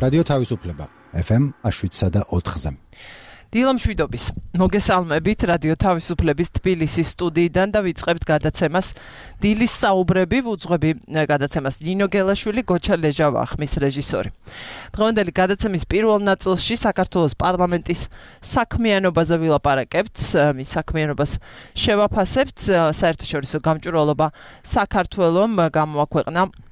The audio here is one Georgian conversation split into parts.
რადიო თავისუფლება FM 7.4-ზე. დილა მშვიდობის. მოგესალმებით რადიო თავისუფლების თბილისის სტუდიიდან და ვიწყებთ გადაცემას დილის საუბრები, ვუძღვები გადაცემას ნინო გელაშვილი, გოჩა ლეჟავა ხმის რეჟისორი. დღევანდელი გადაცემის პირველ ნაწილში საქართველოს პარლამენტის საქმიანობაზე ვილაპარაკებთ, მის საქმიანობას შევაფასებთ, საერთაშორისო გამჭვირვალობა საქართველომ გამოაქვეყნა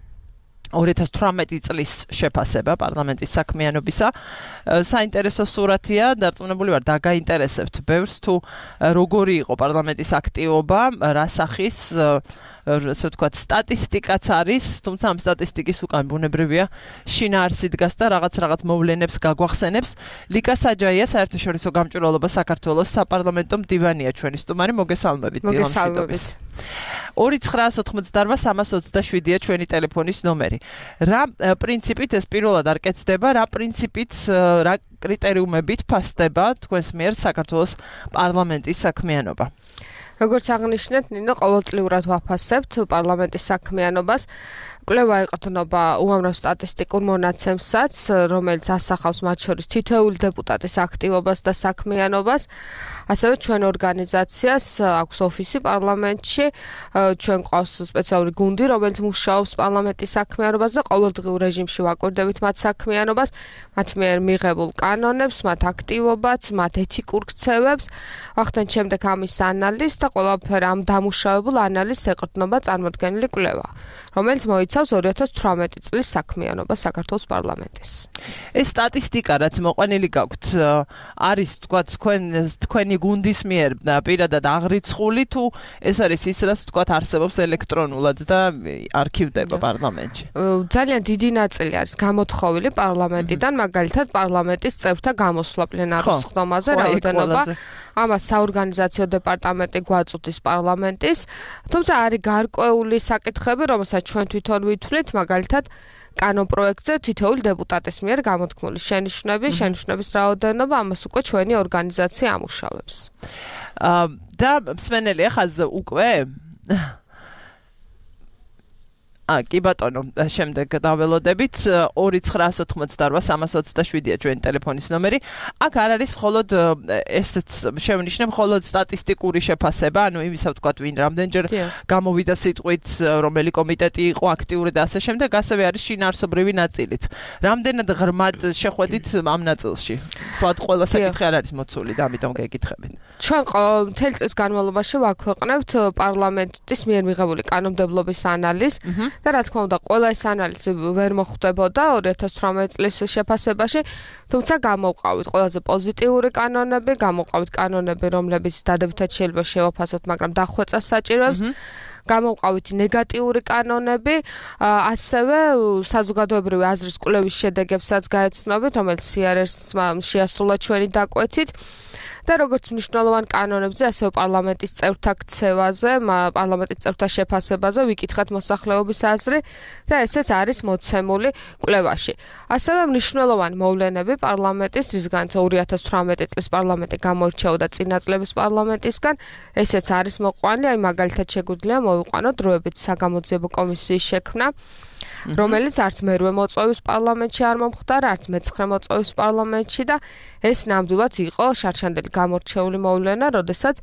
2018 წლის შეფასება პარლამენტის საქმიანობისა. საინტერესო სურათია, დარწმუნებული ვარ, დაგაინტერესებთ ბევრს თუ როგორი იყო პარლამენტის აქტივობა, რა სახის ასე ვთქვათ, სტატისტიკაც არის, თუმცა ამ სტატისტიკის უკან ბუნებრივია შინაარსი დგას და რაღაც მოვლენებს გაგვახსენებს. ლიკა საჯაია, საერთაშორისო გამჭვირვალობა საქართველოს საპარლამენტო მდივანია ჩვენი სტუმარი, მოგესალმებით. მოგესალმებით. 2999-327-ია ჩვენი ტელეფონის ნომერი. რა პრინციპით ეს პირველად არ კეთდება, რა პრინციპით, რა კრიტერიუმებით ფასდება თქვენს მიერ საქართველოს პარლამენტის საქმიანობა? როგორც აღნიშნეთ, ნინო, ყოველწლიურად ვაფასებთ პარლამენტის საქმიანობას. კვლევა ეყრდნობა უამრავ სტატისტიკურ მონაცემსაც, რომელიც ასახავს მათ შორის თითოეული დეპუტატის აქტივობას და საქმიანობას. ასევე ჩვენ ორგანიზაციას აქვს ოფისი პარლამენტში, ჩვენ ყავს სპეციალური გუნდი, რომელიც მუშაობს პარლამენტის საქმიანობას და ყოველდღიურ რეჟიმში ვაკვირდებით მათ საქმიანობას, მათ მიერ მიღებულ კანონებს, მათ აქტივობებს, მათ ეთიკურ ქცევებს. ვახდენთ შემდეგ ამის ანალიზს და ყველაფერ ამ დამუშავებულ ანალიზს ეყრდნობა წარმოდგენილი კვლევა, რომელიც მოიცავს 2018 წლის საქმიანობას საქართველოს პარლამენტის. ეს სტატისტიკა, რაც მოყვანილი გაქვთ, არის თქვენი გუნდის მიერ პირადად აღრიცხული თუ ეს არის ის, რაც არსებობს ელექტრონულად და არქივდება პარლამენტში? ძალიან დიდი ნაწილი არის გამოთხოვილი პარლამენტიდან, მაგალითად პარლამენტის წევრთა გამოსვლა პლენარულ სხდომაზე, რაოდენობა. ამას საორგანიზაციო დეპარტამენტი გვაწვდის პარლამენტის, თუმცა არის გარკვეული საკითხები, რომელსაც ჩვენ თვითონ ვითვლით, მაგალითად კანონპროექტზე თითოეული დეპუტატის მიერ გამოთქმული შენიშვნების რაოდენობა, ამას უკვე ჩვენი ორგანიზაცია ამუშავებს. და მსმენელი ახალ უკვე კი ბატონო, შემდეგ დაველოდებით 2998-327-ია ჩვენი ტელეფონის ნომერი. აქ არ არის მხოლოდ ესეც შევნიშნე მხოლოდ სტატისტიკური შეფასება, ანუ იმისა ვთქვათ, ვინ რამდენჯერ გამოვიდა სიტყვით, რომელი კომიტეტი იყო აქტიური და ასე შემდეგ, ასევე არის შინაარსობრივი ნაწილიც. რამდენად ღრმად შეხვედით ამ ნაწილში? სულად ყველა საკითხი არ არის მოცული და ამიტომ გეკითხებით. ჩვენ მთელი წლის განმავლობაში ვაქვეყნებთ პარლამენტის მიერ მიღებული კანონმდებლობის ანალიზს. და რა თქმა უნდა, ყველა ეს ანალიზი ვერ მოხვდებოდა 2018 წლის შეფასებაში, თუმცა გამოვყავით ყველაზე პოზიტიური კანონები, გამოვყავით კანონები, რომლებიც დადებითად შეიძლება შევაფასოთ, მაგრამ დახვეწას საჭიროებს. გამოვყავით ნეგატიური კანონები, ასევე საზოგადოებრივი აზრის კვლევის შედეგებსაც გაეცნობით, რომელიც CRS-მა შეასრულა ჩვენი დაკვეთით. და როგორც მნიშვნელოვან კანონებზე, ასევე პარლამენტის წევრთა ქცევაზე, პარლამენტის წევრთა შეფასებაზე ვიკითხეთ მოსახლეობის აზრი და ესეც არის მოცემული კვლევაში. ასევე მნიშვნელოვანი მოვლენები პარლამენტის, რისგანაც 2018 წლის პარლამენტი გამოირჩეოდა წინა წლების პარლამენტისგან, ესეც არის მოყვანილი, აი მაგალითად შეგვიძლია მოვიყვანოთ დროებით საგამოძიებო კომისიის შექმნა, რომელიც არც მერვე მოწვევის პარლამენტში არ მომხდარა, არც მეცხრე მოწვევის პარლამენტში და ეს ნამდვილად იყო შარშანდელი გამორჩეული მოვლენა, როდესაც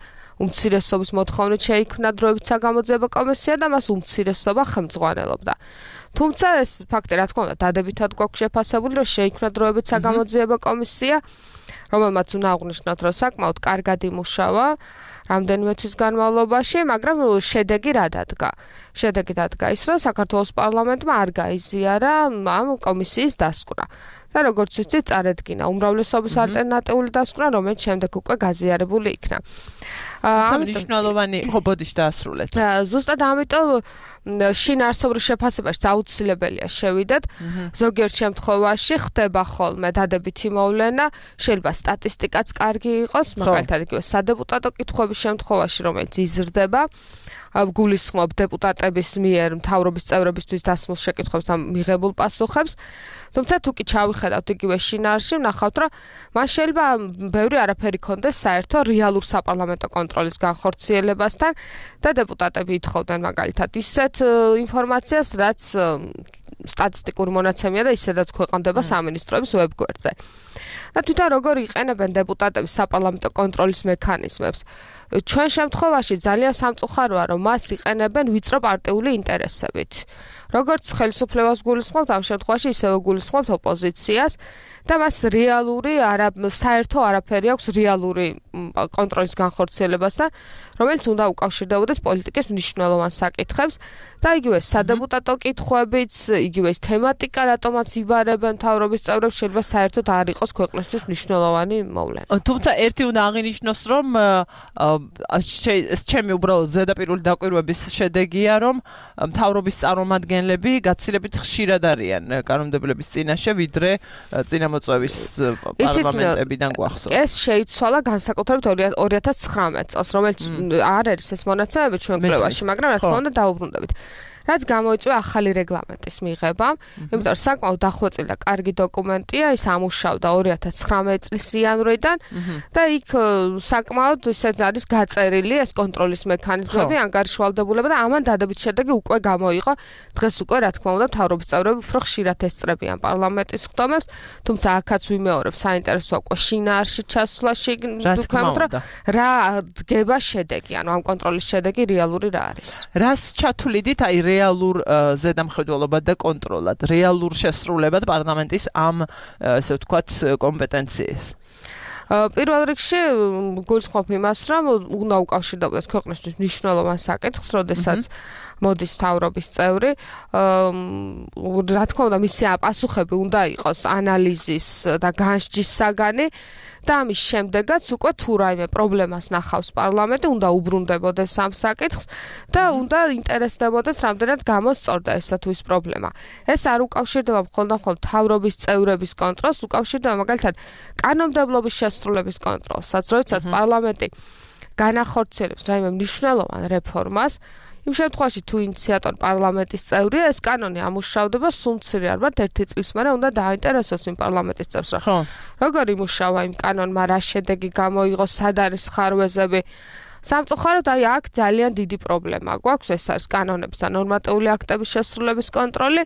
უმცირესობის მოთხოვნით შეიქმნა დროებით საგამოძიებო კომისია და მას უმცირესობა ხელმძღვანელობდა. თუმცა ეს ფაქტი, რა თქმა უნდა, დადებითად გვაქვს შეფასებული, რომ შეიქმნა დროებით საგამოძიებო კომისია, რომელმაც უნდა აღვნიშნოთ, რომ საკმაოდ კარგად იმუშავა რამდენიმე თვის განმავლობაში, მაგრამ შედეგი რა დადგა? შედეგი დადგა ის, რომ საქართველოს პარლამენტმა არ გაიზიარა ამ კომისიის დასკვნა. და როგორც ვიცით, წარედგინა უმრავლესობის ალტერნატიული დასკვნა, რომელიც შემდეგ უკვე გაზიარებული იქნა. მნიშვნელოვანი ხობოდის დაასრულეთ. ზუსტად ამიტომ შინაარსობრივ შეფასებაში აუცილებელია შევიდეთ. ზოგიერთ შემთხვევაში ხდება ხოლმე დადებითი მოვლენა, შეიძლება სტატისტიკაც კარგი იყოს, მაგალითად იგივე სადეპუტატო კითხვების შემთხვევაში, რომელიც იზრდება. გულისხმობ დეპუტატების მიერ მთავრობის წევრებისთვის დასმულ შეკითხვებს და მიღებულ პასუხებს. თუმცა თუ კი ჩავიხედავთ იგივე შინაარსში, ვნახავთ, რომ მას შეიძლება ბევრი არაფერი ქონდეს საერთო რეალურ საპარლამენტო კონტროლის განხორციელებასთან და დეპუტატები ითხოვდნენ მაგალითად ისეთ ინფორმაციას, რაც სტატისტიკური მონაცემია და ისედაც ქვეყნდება სამინისტროების ვებგვერდზე. და თვითონ როგორ იყენებენ დეპუტატები საპარლამენტო კონტროლის მექანიზმებს? ჩვენ შემთხვევაში ძალიან სამწუხაროა, რომ მას იყენებენ ვიწრო პარტიული ინტერესებით. როგორც ხელისუფლებას გულისხმობთ, ამ შემთხვევაში ისევე გულისხმობთ ოპოზიციას და მას საერთო არაფერი აქვს რეალური კონტროლის განხორციელებასთან, რომელიც უნდა უკავშირდებოდეს პოლიტიკის მნიშვნელოვან საკითხებს და იგივე სადეპუტატო კითხვებიც, იგივე ეს თემატიკა, რატომაც იბარებენ მთავრობის წევრებს, შეიძლება საერთოდ არ იყოს ქვეყნისთვის მნიშვნელოვანი მოვლენა. თუმცა ერთი უნდა აღინიშნოს, რომ ჩემი უბრალოდ ზედაპირული დაკვირვების შედეგია, რომ მთავრობის წარმომადგენლები გაცილებით ხშირად არიან კანონმდებლობის წინაშე, ვიდრე წინამოწვევის პარლამენტებიდან გვახსოვს. ეს შეიცვალა განსაკუთრებით 2019 წელს, რომელიც არ არის ეს მონაცემები ჩვენ კვლევაში, მაგრამ რა თქმა უნდა დაუბრუნდებით. რაც გამოიწვია ახალი რეგლამენტის მიღება, იმიტომ რომ საკმაოდ დახვეწილი და კარგი დოკუმენტია, ის ამუშავდა 2019 წლის იანვრიდან და იქ საკმაოდ ისეთ არის გაწერილი ეს კონტროლის მექანიზმები, ანგარიშვალდებულება და ამან დადებით შედეგი უკვე გამოიყო. დღეს უკვე რა თქმა უნდა მთავრობის წევრები უფრო ხშირად ესწრებიან პარლამენტის ხდომებს, თუმცა აქაც ვიმეორებ, საინტერესოა უკვე შინაარსში ჩასვლაში ვთქვამთ, რომ რა დგება შედეგი, ანუ ამ კონტროლის შედეგი რეალური რა არის. რას ჩათვლიდით, აი რეალურ ზედამხედველობად და კონტროლად, რეალურ შესრულებად პარლამენტის ამ ესე ვთქვათ კომპეტენციას. პირველ რიგში გულისხმობ იმას, რომ უნდა უკავშირდებოდეს ქვეყნისთვის მნიშვნელოვან საკითხს, როდესაც მოდის მთავრობის წევრი, რა თქმა უნდა, მისი პასუხები უნდა იყოს ანალიზის და განსჯის საგანი და ამის შემდეგაც უკვე თუ რაიმე პრობლემას ნახავს პარლამენტი, უნდა უბრუნდებოდეს ამ საკითხს და უნდა ინტერესდებოდეს, რამდენად გამოსწორდა ესა თუ ის პრობლემა. ეს არ უკავშირდება მხოლოდ მთავრობის წევრების კონტროლს, უკავშირდება მაგალითად კანონმდებლობის შესრულების კონტროლსაც, როდესაც პარლამენტი განახორციელებს რაიმე მნიშვნელოვან რეფორმას, იმ შემთხვევაში თუ ინიციატორი პარლამენტის წევრია, ეს კანონი ამუშავდება სულ-მცირე ალბათ 1 წლის მერე უნდა დააინტერესოს იმ პარლამენტის წევრს, როგორ იმუშავა იმ კანონმა, რა შედეგი გამოიღო, სად არის ხარვეზები. სამწუხაროდ აი აქ ძალიან დიდი პრობლემა გვაქვს, ეს არის კანონების და ნორმატიული აქტების შესრულების კონტროლი.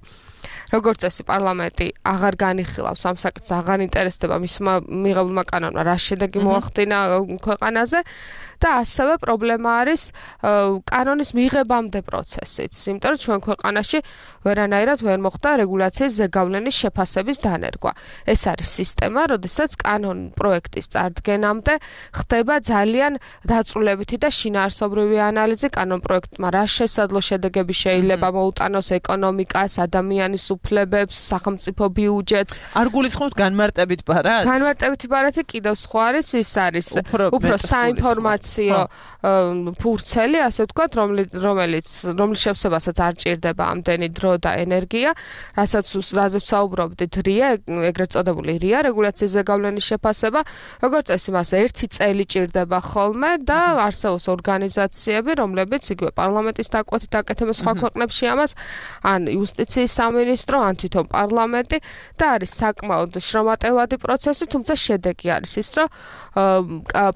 როგორც წესი პარლამენტი აღარ განიხილავს ამ საკითხს, აღარ ინტერესდება მისმა მიღებულმა კანონმა რა შედეგი მოახდინა ქვეყანაზე და ასევე პრობლემა არის კანონის მიღებამდე პროცესიც, იმიტომ რომ ჩვენ ქვეყანაში ვერანაირად ვერ მოხდა რეგულაციის ზეგავლენის შეფასების დანერგვა. ეს არის სისტემა, როდესაც კანონ პროექტის წარდგენამდე ხდება ძალიან დაწვრილებითი და შინაარსობრივი ანალიზი კანონ პროექტმა რა შესაძლო შედეგები შეიძლება მოუტანოს ეკონომიკას, ადამიანის უფლებებს, სახელმწიფო ბიუჯეტს. არ გულისხმობთ განმარტებით ბარათს? განმარტებითი ბარათი კიდევ სხვა არის, ის არის უფრო საინფორმაციო ფურცელი, ასე ვთქვათ, რომლის შევსებასაც არ ჭირდება ამდენი დრო და ენერგია, რაზეც ვსაუბრობდით RIA, ეგრეთ წოდებული RIA, რეგულაციის ზეგავლენის შეფასება, როგორც წესი მას 1 წელი ჭირდება ხოლმე და არსებობს ორგანიზაციები, რომლებიც იგივე პარლამენტის დაკვეთით აკეთებენ სხვა ქვეყნებში ამას, ან იუსტიციის სამინისტრო, ან თვითონ პარლამენტი და არის საკმაოდ შრომატევადი პროცესი, თუმცა შედეგი არის ის, რომ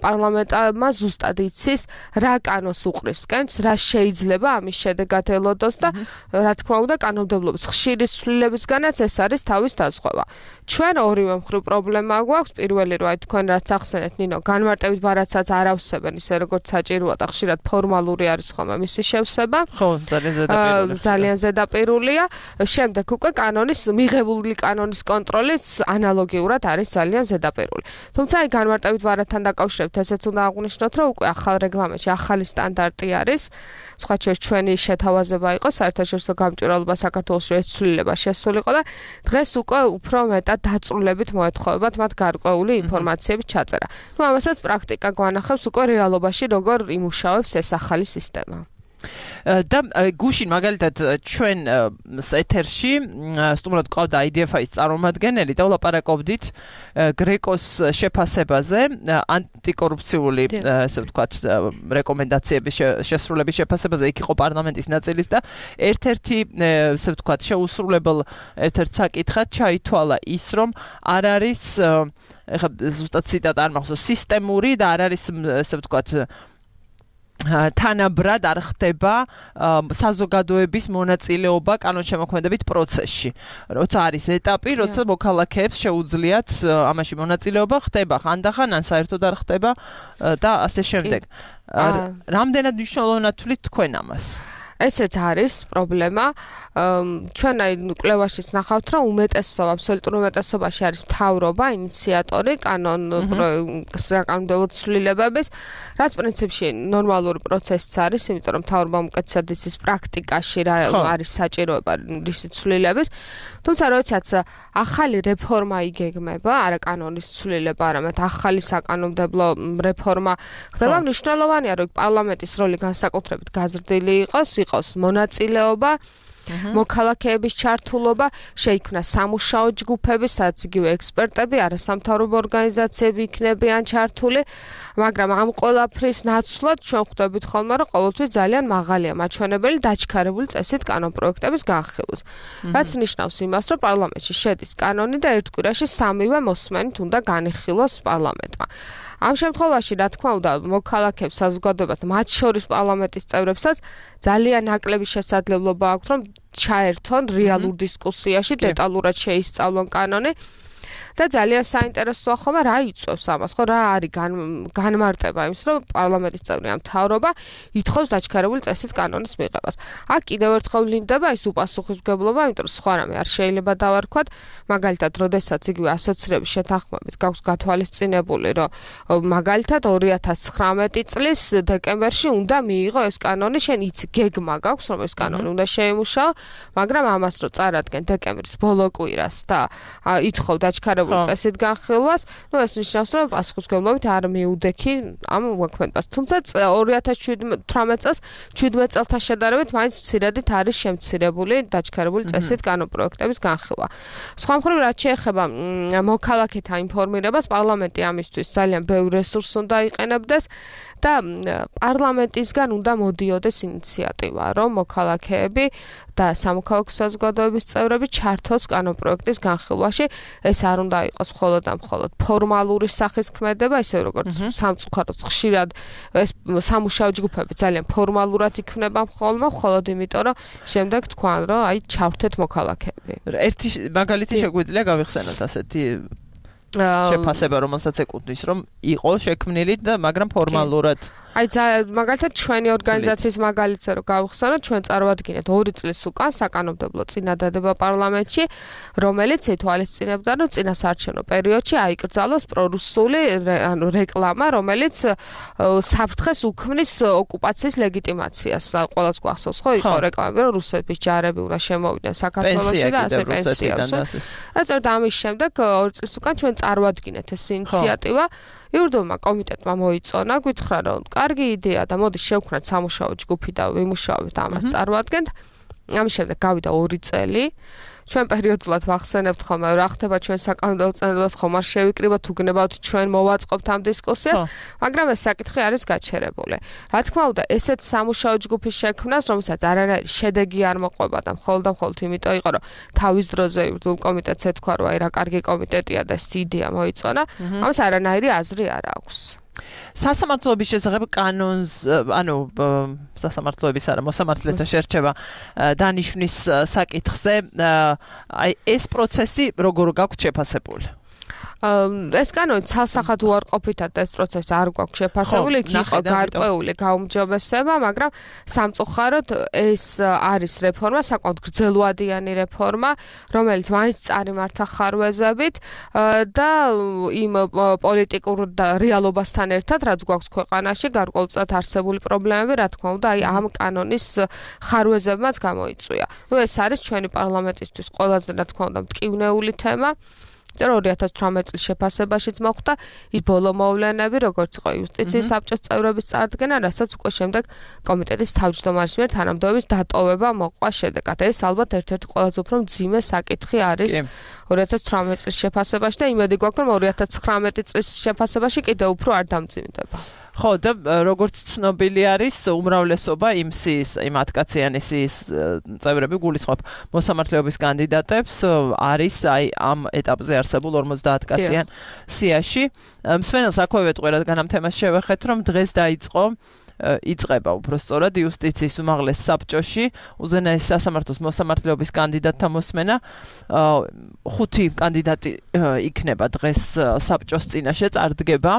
პარლამენტმა ზუსტად იცის რა კანონს უყრისკენს, რა შეიძლება ამის შედეგად ელოდოს და რა თქმა უნდა კანონმდებლობის ხშირი ცვლილებისგანაც ეს არის თავის დაზღვევა. ჩვენ ორივე მხრივ პრობლემა გვაქვს, პირველი რომ აი თქვენ რაც ახსენეთ ნინო, განმარტებით ბარათსაც არ ავსებენ ისე როგორც საჭიროა და ხშირად ფორმალური არის ხოლმე მისი შევსება. ხო, ძალიან ზედაპირულია. შემდეგ უკვე მიღებული კანონის კონტროლიც ანალოგიურად არის ძალიან ზედაპირული. თუმცა აი განმარტებით ბარათთან დაკავშირებით ესეც უნდა აღვნიშნოთ, რომ უკვე ახალ რეგლამენტში ახალი სტანდარტი არის. სხვა ჩვენი შეთავაზება იყო საერთაშორისო გამჭვირვალობა საქართველოში ეს ცვლილება შესულიყო და დღეს უკვე უფრო მეტად დაწვრილებით მოეთხოვებათ მათ გარკვეული ინფორმაციების ჩაწერა. ამასაც პრაქტიკა გვანახავს უკვე რეალობაში როგორ იმუშავებს ეს ახალი სისტემა. და გუშინ მაგალითად ჩვენ ეთერში სტუმრად ყავდა IDF-ის წარმომადგენელი და ვლაპარაკობდით გრეკოს შეფასებაზე, ანტიკორუფციული ასე ვთქვათ რეკომენდაციების შესრულების შეფასებაზე, იქ იყო პარლამენტის ნაწილის და ერთ-ერთი ასე ვთქვათ შეუსრულებელ ერთ-ერთ საკითხად ჩაითვალა ის, რომ არ არის ეხლა ზუსტად ციტატა არ მახსოვს, სისტემური და არ არის ასე ვთქვათ თანაბრად არ ხდება საზოგადოების მონაწილეობა კანონშემოქმედებით პროცესში. როცა არის ეტაპი, როცა მოქალაქეებს შეუძლიათ ამაში მონაწილეობა ხდება, ხანდახან ან საერთოდ არ ხდება და ასე შემდეგ. რამდენად მნიშვნელოვნად თვლით თქვენ ამას? ესეც არის პრობლემა. ჩვენ აი კვლევაშიც ნახავთ, რომ აბსოლუტურ უმეტესობაში არის მთავრობა, ინიციატორი საკანონმდებლო ცვლილებების, რაც პრინციპში ნორმალური პროცესიც არის, იმიტომ რომ მთავრობამ უკეთესად იცის პრაქტიკაში რა არის საჭიროება რისი ცვლილების. თუმცა როდესაც ახალი რეფორმა იგეგმება, არა კანონის ცვლილება, არამედ ახალი საკანონმდებლო რეფორმა ხდება, მნიშვნელოვანია, რომ პარლამენტის როლი განსაკუთრებით გაზრდილი იყოს მონაწილეობა, მოქალაქეების ჩართულობა, შეიქმნა სამუშაო ჯგუფები, სადაც იგივე ექსპერტები, არასამთავრობო ორგანიზაციები იქნებიან ჩართული, მაგრამ ამ ყველაფრის ნაცვლად ჩვენ ხვდებით ხოლმე, რომ ყოველთვის ძალიან მაღალია მაჩვენებელი დაჩქარებული წესით კანონპროექტების განხილვის. რაც ნიშნავს იმას, რომ პარლამენტში შედის კანონი და ერთ კვირაში 3-ვე მოსმენით უნდა განიხილოს პარლამენტმა. ამ შემთხვევაში, რა თქმა უნდა, მოქალაქეებს საზოგადოებას, მათ შორის პარლამენტის წევრებსაც ძალიან ნაკლები შესაძლებლობა აქვთ, რომ ჩაერთონ რეალურ დისკუსიაში, დეტალურად შეისწავლონ კანონი. და ძალიან საინტერესოა ხოლმე რა იწვევს ამას, ხო, რა არის განმარტება იმის, რომ პარლამენტის წევრი ამ მთავრობა ითხოვს დაჩქარებული წესით კანონის მიღებას. აქ კიდევ ერთხელ ვლინდება ის უპასუხისმგებლობა, იმიტომ რომ სხვა რამე არ შეიძლება დავარქვათ, მაგალითად, როდესაც იგივე ასოცირების შეთანხმებით გაქვს გათვალისწინებული, რომ მაგალითად 2019 წლის დეკემბერში უნდა მიიღო ეს კანონი, შენ იცი გეგმა გაქვს, რომ ეს კანონი უნდა შეიმუშაო, მაგრამ ამას რო წარადგენ დეკემბრის ბოლო კვირას და ითხოვ დაჩქარებული წესით განხილვას, ეს ნიშნავს, რომ პასუხისმგებლობით არ მიუდექი ამ მოქმედებას. თუმცა 2018 წელს 17 წელთან შედარებით მაინც მცირედით არის შემცირებული დაჩქარებული წესით კანონპროექტების განხილვა. სხვა მხრივ, რაც შეეხება მოქალაქეთა ინფორმირებას, პარლამენტი ამისთვის ძალიან ბევრ რესურსს უნდა იყენებდეს და პარლამენტისგან უნდა მოდიოდეს ინიციატივა, რომ მოქალაქეები და სამოქალაქო საზოგადოების წევრები ჩართოს კანონპროექტის განხილვაში. ეს არ უნდა იყოს მხოლოდ ფორმალური სახის ქმედება, ისე როგორც სამწუხაროდ ხშირად ეს სამუშაო ჯგუფები ძალიან ფორმალურად იქმნება მხოლოდ იმიტომ, რომ შემდეგ თქვან, რომ აი ჩავრთეთ მოქალაქეები. ერთი მაგალითი შეგვიძლია გავიხსენოთ ასეთი შეფასება, რომელსაც ეკუთვნის, რომ იყო შექმნილი და მაგრამ ფორმალურად აი მაგალითად ჩვენი ორგანიზაციის მაგალითზე რომ გავიხსენოთ, ჩვენ წარვადგინეთ 2 წლის უკან საკანონმდებლო წინადადება პარლამენტში, რომელიც ითვალისწინებდა, რომ წინასაარჩევნო პერიოდში აიკრძალოს პრორუსული რეკლამა, რომელიც საფრთხეს უქმნის ოკუპაციის ლეგიტიმაციას. ყველას გვახსოვს, ხო, იყო რეკლამა, რომ რუსების ჯარები უნდა შემოვიდნენ საქართველოში და ასე პენსიას. ეწოდა ამის შემდეგ 2 წლის უკან ჩვენ წარვადგინეთ ეს ინიციატივა. იურდომა კომიტეტმა მოიწონა, გითხრა, რომ კარგი იდეა და მოდი შევქმნათ სამუშაო ჯგუფი და ვიმუშაობთ ამას წარვადგენთ. ამის შემდეგ გავიდა 2 წელი. ჩვენ პერიოდულად ვახსენებთ ხოლმე, რა ხდება ჩვენ საკანონმდებლო წინადადებას ხომ არ შევიკრიბოთ, თუ გნებავთ ჩვენ მოვაწყობთ ამ დისკუსიას, მაგრამ ეს საკითხი არის გაჩერებული. რა თქმა უნდა, ესეთ სამუშაო ჯგუფის შექმნას, რომელსაც არანაირი შედეგი არ მოყვება და მხოლოდ იმიტომ იყო, რომ თავის დროზე იურდულ კომიტეტს ეთქვა, რომ აი რა კარგი კომიტეტია და ეს იდეა მოიწონა, ამას არანაირი აზრი არ აქვს. სასამართლოების შესახებ კანონს, სასამართლოების არა, მოსამართლეთა შერჩევა დანიშვნის საკითხზე, აი ეს პროცესი როგორ გაქვთ შეფასებული? ეს კანონი ცალსახად უარყოფითად ეს პროცესი არ გვაქვს შეფასებული, იქ იყო გარკვეული გაუმჯობესება, მაგრამ სამწუხაროდ ეს არის რეფორმა, საკმაოდ გრძელვადიანი რეფორმა, რომელიც მაინც წარიმართა ხარვეზებით და იმ პოლიტიკურ რეალობასთან ერთად, რაც გვაქვს ქვეყანაში, გარკვეულწილად არსებული პრობლემები, რა თქმა უნდა, აი ამ კანონის ხარვეზებმაც გამოიწვია. ეს არის ჩვენი პარლამენტისთვის ყველაზე, რა თქმა უნდა, მტკივნეული თემა. 2018 წლის შეფასებაშიც მოხდა ის ბოლო მოვლენები, როგორც იყო იუსტიციის საბჭოს წევრების წარდგენა, რასაც უკვე შემდეგ კომიტეტის თავმჯდომარის მიერ თანამდებობის დატოვება მოყვა შედეგად. ეს ალბათ ერთ-ერთი ყველაზე უფრო მძიმე საკითხი არის 2018 წლის შეფასებაში და იმედი გვაქვს, რომ 2019 წლის შეფასებაში კიდევ უფრო არ დამძიმდება. ხო, და როგორც ცნობილი არის, უმრავლესობა იმ 10 სიის წევრები გულისხმობ მოსამართლეობის კანდიდატებს არის აი ამ ეტაპზე არსებულ 50 სიაში. მსმენელს აქვე ვეტყვი, რადგან ამ თემას შევეხეთ, რომ დღეს დაიწყო იწყება უბრალოდ იუსტიციის უმაღლეს საბჭოში უზენაესი სასამართლოს მოსამართლეობის კანდიდატთა მოსმენა 5 კანდიდატი იქნება დღეს საბჭოს წინაშე წარდგება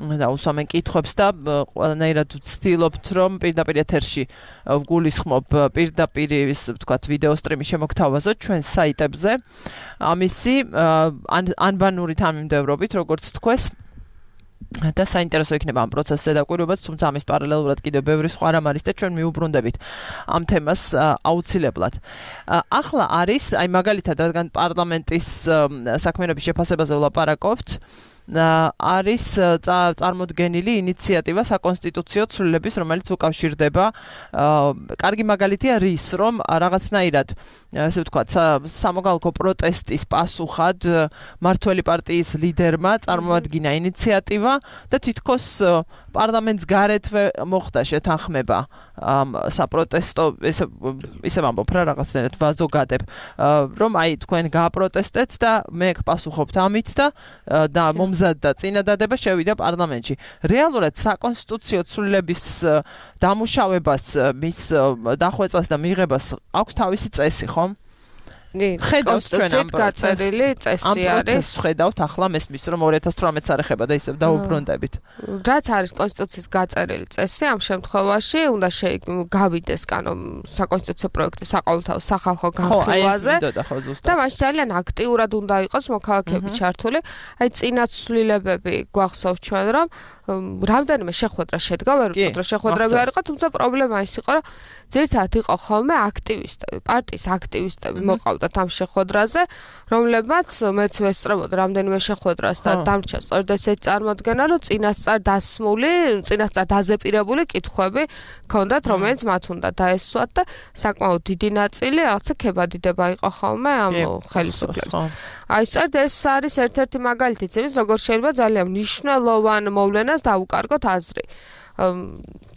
და უსვამენ კითხვებს და ყველანაირად ვცდილობთ რომ პირდაპირ ეთერში ვგულისხმობ პირდაპირ ის ვთქვათ ვიდეო სტრიმი შემოგთავაზოთ ჩვენ საიტებზე ამისი ანბანური თანმიმდევრობით როგორც თქვეს და საინტერესო იქნება ამ პროცესზე დაკვირვებაც, თუმცა ამის პარალელურად კიდევ ბევრი სხვა რამ არის და ჩვენ მიუბრუნდებით ამ თემას აუცილებლად. ახლა არის, აი მაგალითად, რადგან პარლამენტის საქმიანობის შეფასებაზე ვლაპარაკობთ, არის წარმოდგენილი ინიციატივა საკონსტიტუციო ცვლილების, რომელიც უკავშირდება კარგი მაგალითია რის, რომ რაღაცნაირად ასე ვთქვათ, სამოქალაქო პროტესტის პასუხად მმართველი პარტიის ლიდერმა წარმოადგინა ინიციატივა და თითქოს პარლამენტს გარეთვე მოხდა შეთანხმება საპროტესტო ისე ვამბობ რა რაღაცნაირად ვაზოგადებ რომ აი თქვენ გააპროტესტეთ და მე გპასუხობთ ამით და მომზადდა წინადადება შევიდა პარლამენტში. რეალურად საკონსტიტუციო ცვლილების დამუშავებას მის დახვეწას და მიღებას აქვს თავისი წესი, ხომ? კონსტიტუციით გაწერილი წესი არის. ხედავთ ახლა მესმის რომ 2018 არ ეხება და ისევ დაუბრუნდებით. რაც არის კონსტიტუციის გაწერილი წესი, ამ შემთხვევაში უნდა გავიდეს საკონსტიტუციო პროექტი საყოველთაო სახალხო განხილვაზე და მაშინ ძალიან აქტიურად უნდა იყოს მოქალაქეები ჩართული. აი წინაცვლილებები გვახსოვს ჩვენ რომ რამდენიმე შეხვედრა შედგა, ვერ ვთქვით რომ შეხვედრები არ იყო, თუმცა პრობლემა ის იყო, რომ ძირითადად იყო ხოლმე აქტივისტები, პარტიის აქტივისტები მოყავდათ ამ შეხვედრაზე, რომლებმაც მეც ვესწრებოდი რამდენიმე შეხვედრას და დამრჩა სწორედ ესეთი წარმოდგენა, რომ წინასწარ დაზეპირებული კითხვები ჰქონდათ, რომელიც მათ უნდა დაესვათ და საკმაოდ დიდი ნაწილი რაღაცა ქებადიდება იყო ხოლმე ამ ხელისუფლებას. აი სწორედ ეს არის ერთ-ერთი მაგალითი იმის, როგორ შეიძლება ძალიან მნიშვნელოვან მოვლენას დაუკარგოთ აზრი.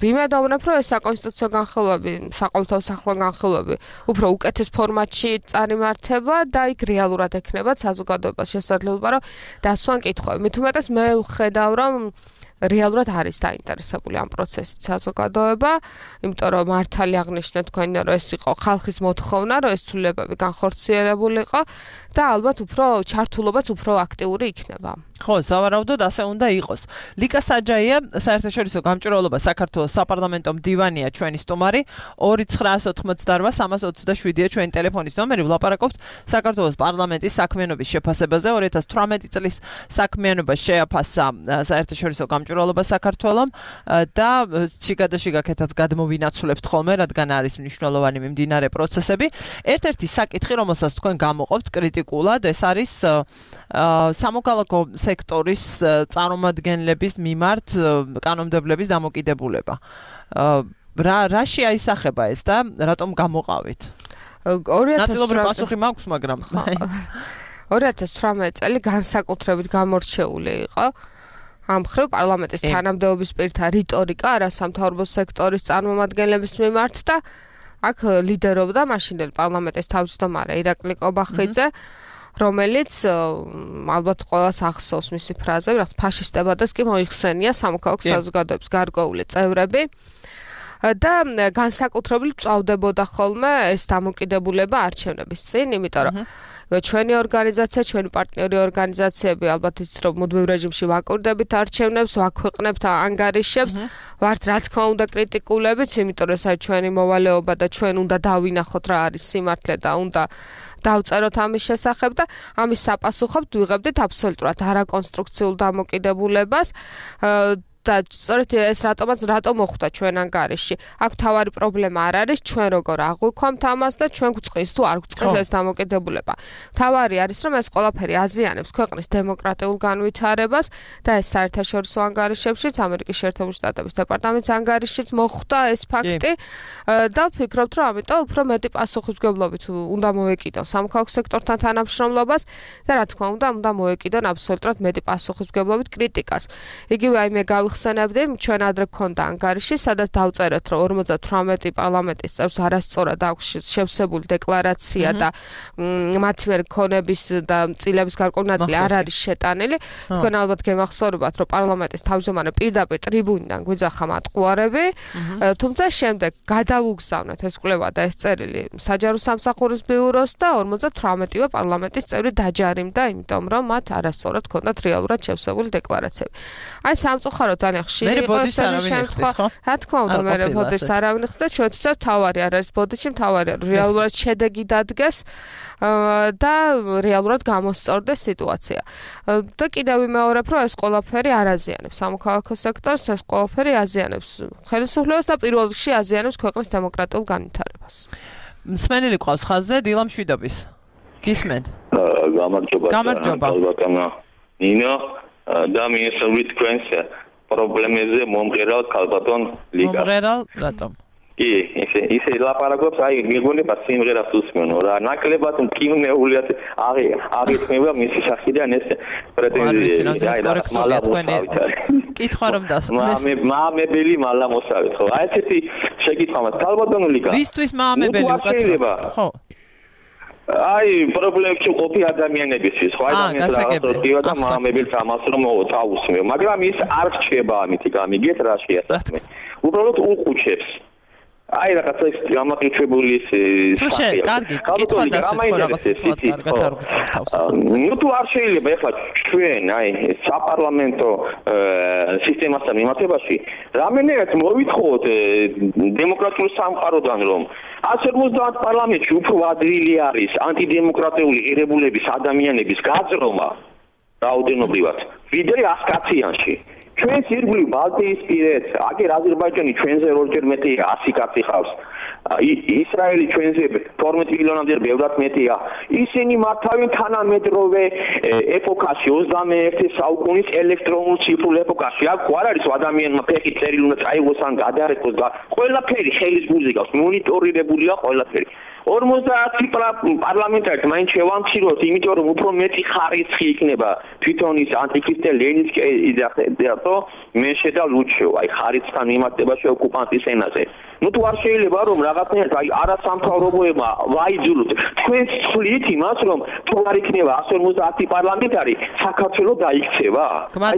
ვიმედოვნებ, რომ ეს საკონსტიტუციო განხილვები, საყოველთაო სახალხო განხილვები უფრო უკეთეს ფორმატში წარიმართება და იქ რეალურად ექნება საზოგადოებას შესაძლებლობა, რომ დასვან კითხვები. მით უმეტეს მე ვხედავ, რომ რეალურად არის დაინტერესებული ამ პროცესით საზოგადოება, იმიტომ რომ მართალი აღნიშნეთ თქვენი, რომ ეს იყო ხალხის მოთხოვნა, რომ ეს ცვლილებები განხორციელებულიყო და ალბათ უფრო ჩართულობაც უფრო აქტიური იქნება. ხო, სავარაუდოდ ასე უნდა იყოს. ლიკა საჯაია, საერთაშორისო გამჭვირვალობა საქართველოს საპარლამენტო მდივანია ჩვენი სტუმარი, 2988327-ია ჩვენი ტელეფონის ნომერი, ვლაპარაკობთ საქართველოს პარლამენტის საქმიანობის შეფასებაზე, 2018 წლის საქმიანობა შეაფასა საერთაშორისო გამჭვირვალობა საქართველოს და შიგადაშიგაკეთაც გადმოვინაცვლებთ ხოლმე, რადგან არის მნიშვნელოვანი მიმდინარე პროცესები. ერთ-ერთი საკითხი, რომელსაც თქვენ გამოყოფთ კრიტიკულად, ეს არის სამოქალაქო სექტორის წარმომადგენლების მიმართ კანონმდებლების დამოკიდებულება. რაში აისახება ეს და რატომ გამოყავით? ნაწილობრივ პასუხი მაქვს, მაგრამ 2018 წელი განსაკუთრებით გამორჩეული იყო. ამ მხრივ პარლამენტის თანამდებობის პირთა რიტორიკა არასამთავრობო სექტორის წარმომადგენლების მიმართ და აქ ლიდერობდა მაშინდელი პარლამენტის თავმჯდომარე ირაკლი კობახიძე, რომელიც ალბათ ყველას ახსოვს მისი ფრაზები, რაც ფაშისტებადეს კი მოიხსენია სამოქალაქო საზოგადოების გარკვეული წევრები და განსაკუთრებით წავდებოდა ხოლმე ეს დამოკიდებულება არჩევნების წინ, იმიტომ რომ ჩვენი ორგანიზაცია, ჩვენი პარტნიორი ორგანიზაციები ალბათ იცით რომ მუდმივ რეჟიმში ვაკურდებით არჩევნებს, ვაქვეყნებთ ანგარიშებს, ვართ რა თქმა უნდა კრიტიკულებიც, იმიტომ რომ ეს არის ჩვენი მოვალეობა და ჩვენ უნდა დავინახოთ რა არის სიმართლე და უნდა დავწეროთ ამის შესახებ და ამის საპასუხოდ ვიღებდით აბსოლუტურად არაკონსტრუქციულ დამოკიდებულებას და სწორედ ეს რატომ მოხვდა ჩვენ ანგარიში. აქ თავარი პრობლემა არ არის ჩვენ როგორ აღვიქვამთ ამას და ჩვენ გვწყვის თუ არ გვწყვის ეს დამოკიდებულება. თავარი არის რომ ეს ყველაფერი აზიანებს ქვეყნის დემოკრატიულ განვითარებას და ეს საერთაშორისო ანგარიშებშიც ამერიკის შეერთებული შტატების დეპარტამენტის ანგარიშიც მოხვდა ეს ფაქტი და ვფიქრობთ რომ ამიტომ უფრო მეტი პასუხისმგებლობით უნდა მოეკიდონ სამოქალაქო სექტორთან თანამშრომლობას და რა თქმა უნდა მოეკიდონ აბსოლუტურად მეტი პასუხისმგებლობით კრიტიკას. იგივე აი მე მიხსენებდი, ჩვენ ადრე გქონდა ანგარიში, სადაც დავწერეთ, რომ 58 პარლამენტის წევრს არასწორად აქვს შევსებული დეკლარაცია და მათი მიერ ქონების და წილების გარკვეული ნაწილი არ არის შეტანილი. თქვენ ალბათ გემახსოვრებათ, რომ პარლამენტის თავმჯდომარე პირდაპირ ტრიბუნიდან გვიძახა მატყუარები, თუმცა შემდეგ გადავუგზავნეთ ეს კვლევა და ეს წერილი საჯარო სამსახურის ბიუროს და 58-ვე პარლამენტის წევრი დაჯარიმდა, იმიტომ რომ მათ არასწორად ჰქონდათ რეალურად შევსებული დეკლარაციები. აი სამწუხაროდ ძალიან ხშირი იყო ესეთი შემთხვევა. რა თქმა უნდა, მე ბოდიშს არავინ ხსნა, ჩვენთვისაც თავარი არ არის ბოდიში, თავარია რეალურად შედეგი დადგეს და რეალურად გამოსწორდეს სიტუაცია. და კიდევ ვიმეორებ, რომ ეს ყველაფერი არ აზიანებს სამოქალაქო სექტორს, ეს ყველაფერი აზიანებს ხელისუფლებას და პირველ რიგში აზიანებს ქვეყნის დემოკრატიულ განვითარებას. მსმენელი ყავს ხაზზე დილა მშვიდობის. გისმენთ? გამარჯობა. ნინო და მინისტრით თქვენს პრობლემებზე მომღერალ ქალბატონ ლიგა. მომღერალ რატომ? კი, ისე ლაპარაკობს, აი მეგონება სიმღერას უსმენო რა, ნაკლებად მკივნეული აღიქმება მისი სახიდან ეს პრეტენზია. აი რა მალამოსავით. კითხვა რომ დასმეს. მაამებელი მალამოსავით, ხო? აი ესეთი შეკითხვა მაქვს ქალბატონ ლიგა. ვისთვის მაამებელი უკაცრავ? ხო. აი პრობლემებში ყოფი ადამიანებისთვის, ხო? ადამიანს რაღაცა და მაამებელს ამას რომ თავუსმევ, მაგრამ ის არ რჩება ამით, გამიგეთ რა შეასახმე. უბრალოდ უყუჩებს. აი რაღაცა ის გამაყიჩებული ის სახეა. კარგი, კითხვა დასწრება. ნუ თუ არ შეიძლება ეხლა ჩვენ აი საპარლამენტო სისტემასთან მიმართებაში რამენერად მოვითხოვოთ დემოკრატიულ სამყაროდან რომ 150 პარლამენტში უფრო ადვილი არის ანტიდემოკრატიული ღირებულების ადამიანების გაძრომა რაოდენობრივად ვიდრე 100 კაციანში. ჩვენს ირგვლივ ბალტიისპირეთ, აგერ აზერბაიჯანი ჩვენზე ორჯერ მეტია, 100 კაცი ხავს. ისრაელი ჩვენზე 12 მილიონამდე ბევრად მეტია. ისინი მართავენ თანამედროვე ეპოქაში, 21 საუკუნის ელექტრონულ ციფრულ ეპოქაში. აქ არ არის ადამიანმა ფეხი წერილი უნდა წაიღოს ან გადარეკოს და ყველაფერი ხელის გულზე გავს, მონიტორირებულია ყველაფერი. 50 პარლამენტარით მაინც შევამციროთ, იმიტომ რომ უფრო მეტი ხარისხი იქნება თვითონ ის ანტიქრისტე ლენინსკი და მე შედა ლუჩო, აი ხარისხთან მიმართებაში ოკუპანტის ენაზე. ნუ თუ არ შეიძლება რომ რაღაცნაირად აი არასამთავრობოებმა ვაიძულოთ. თქვენ ცვლით იმას რომ თუ არ იქნება 150 პარლამენტარი, საქართველოს დაიქცევა. აი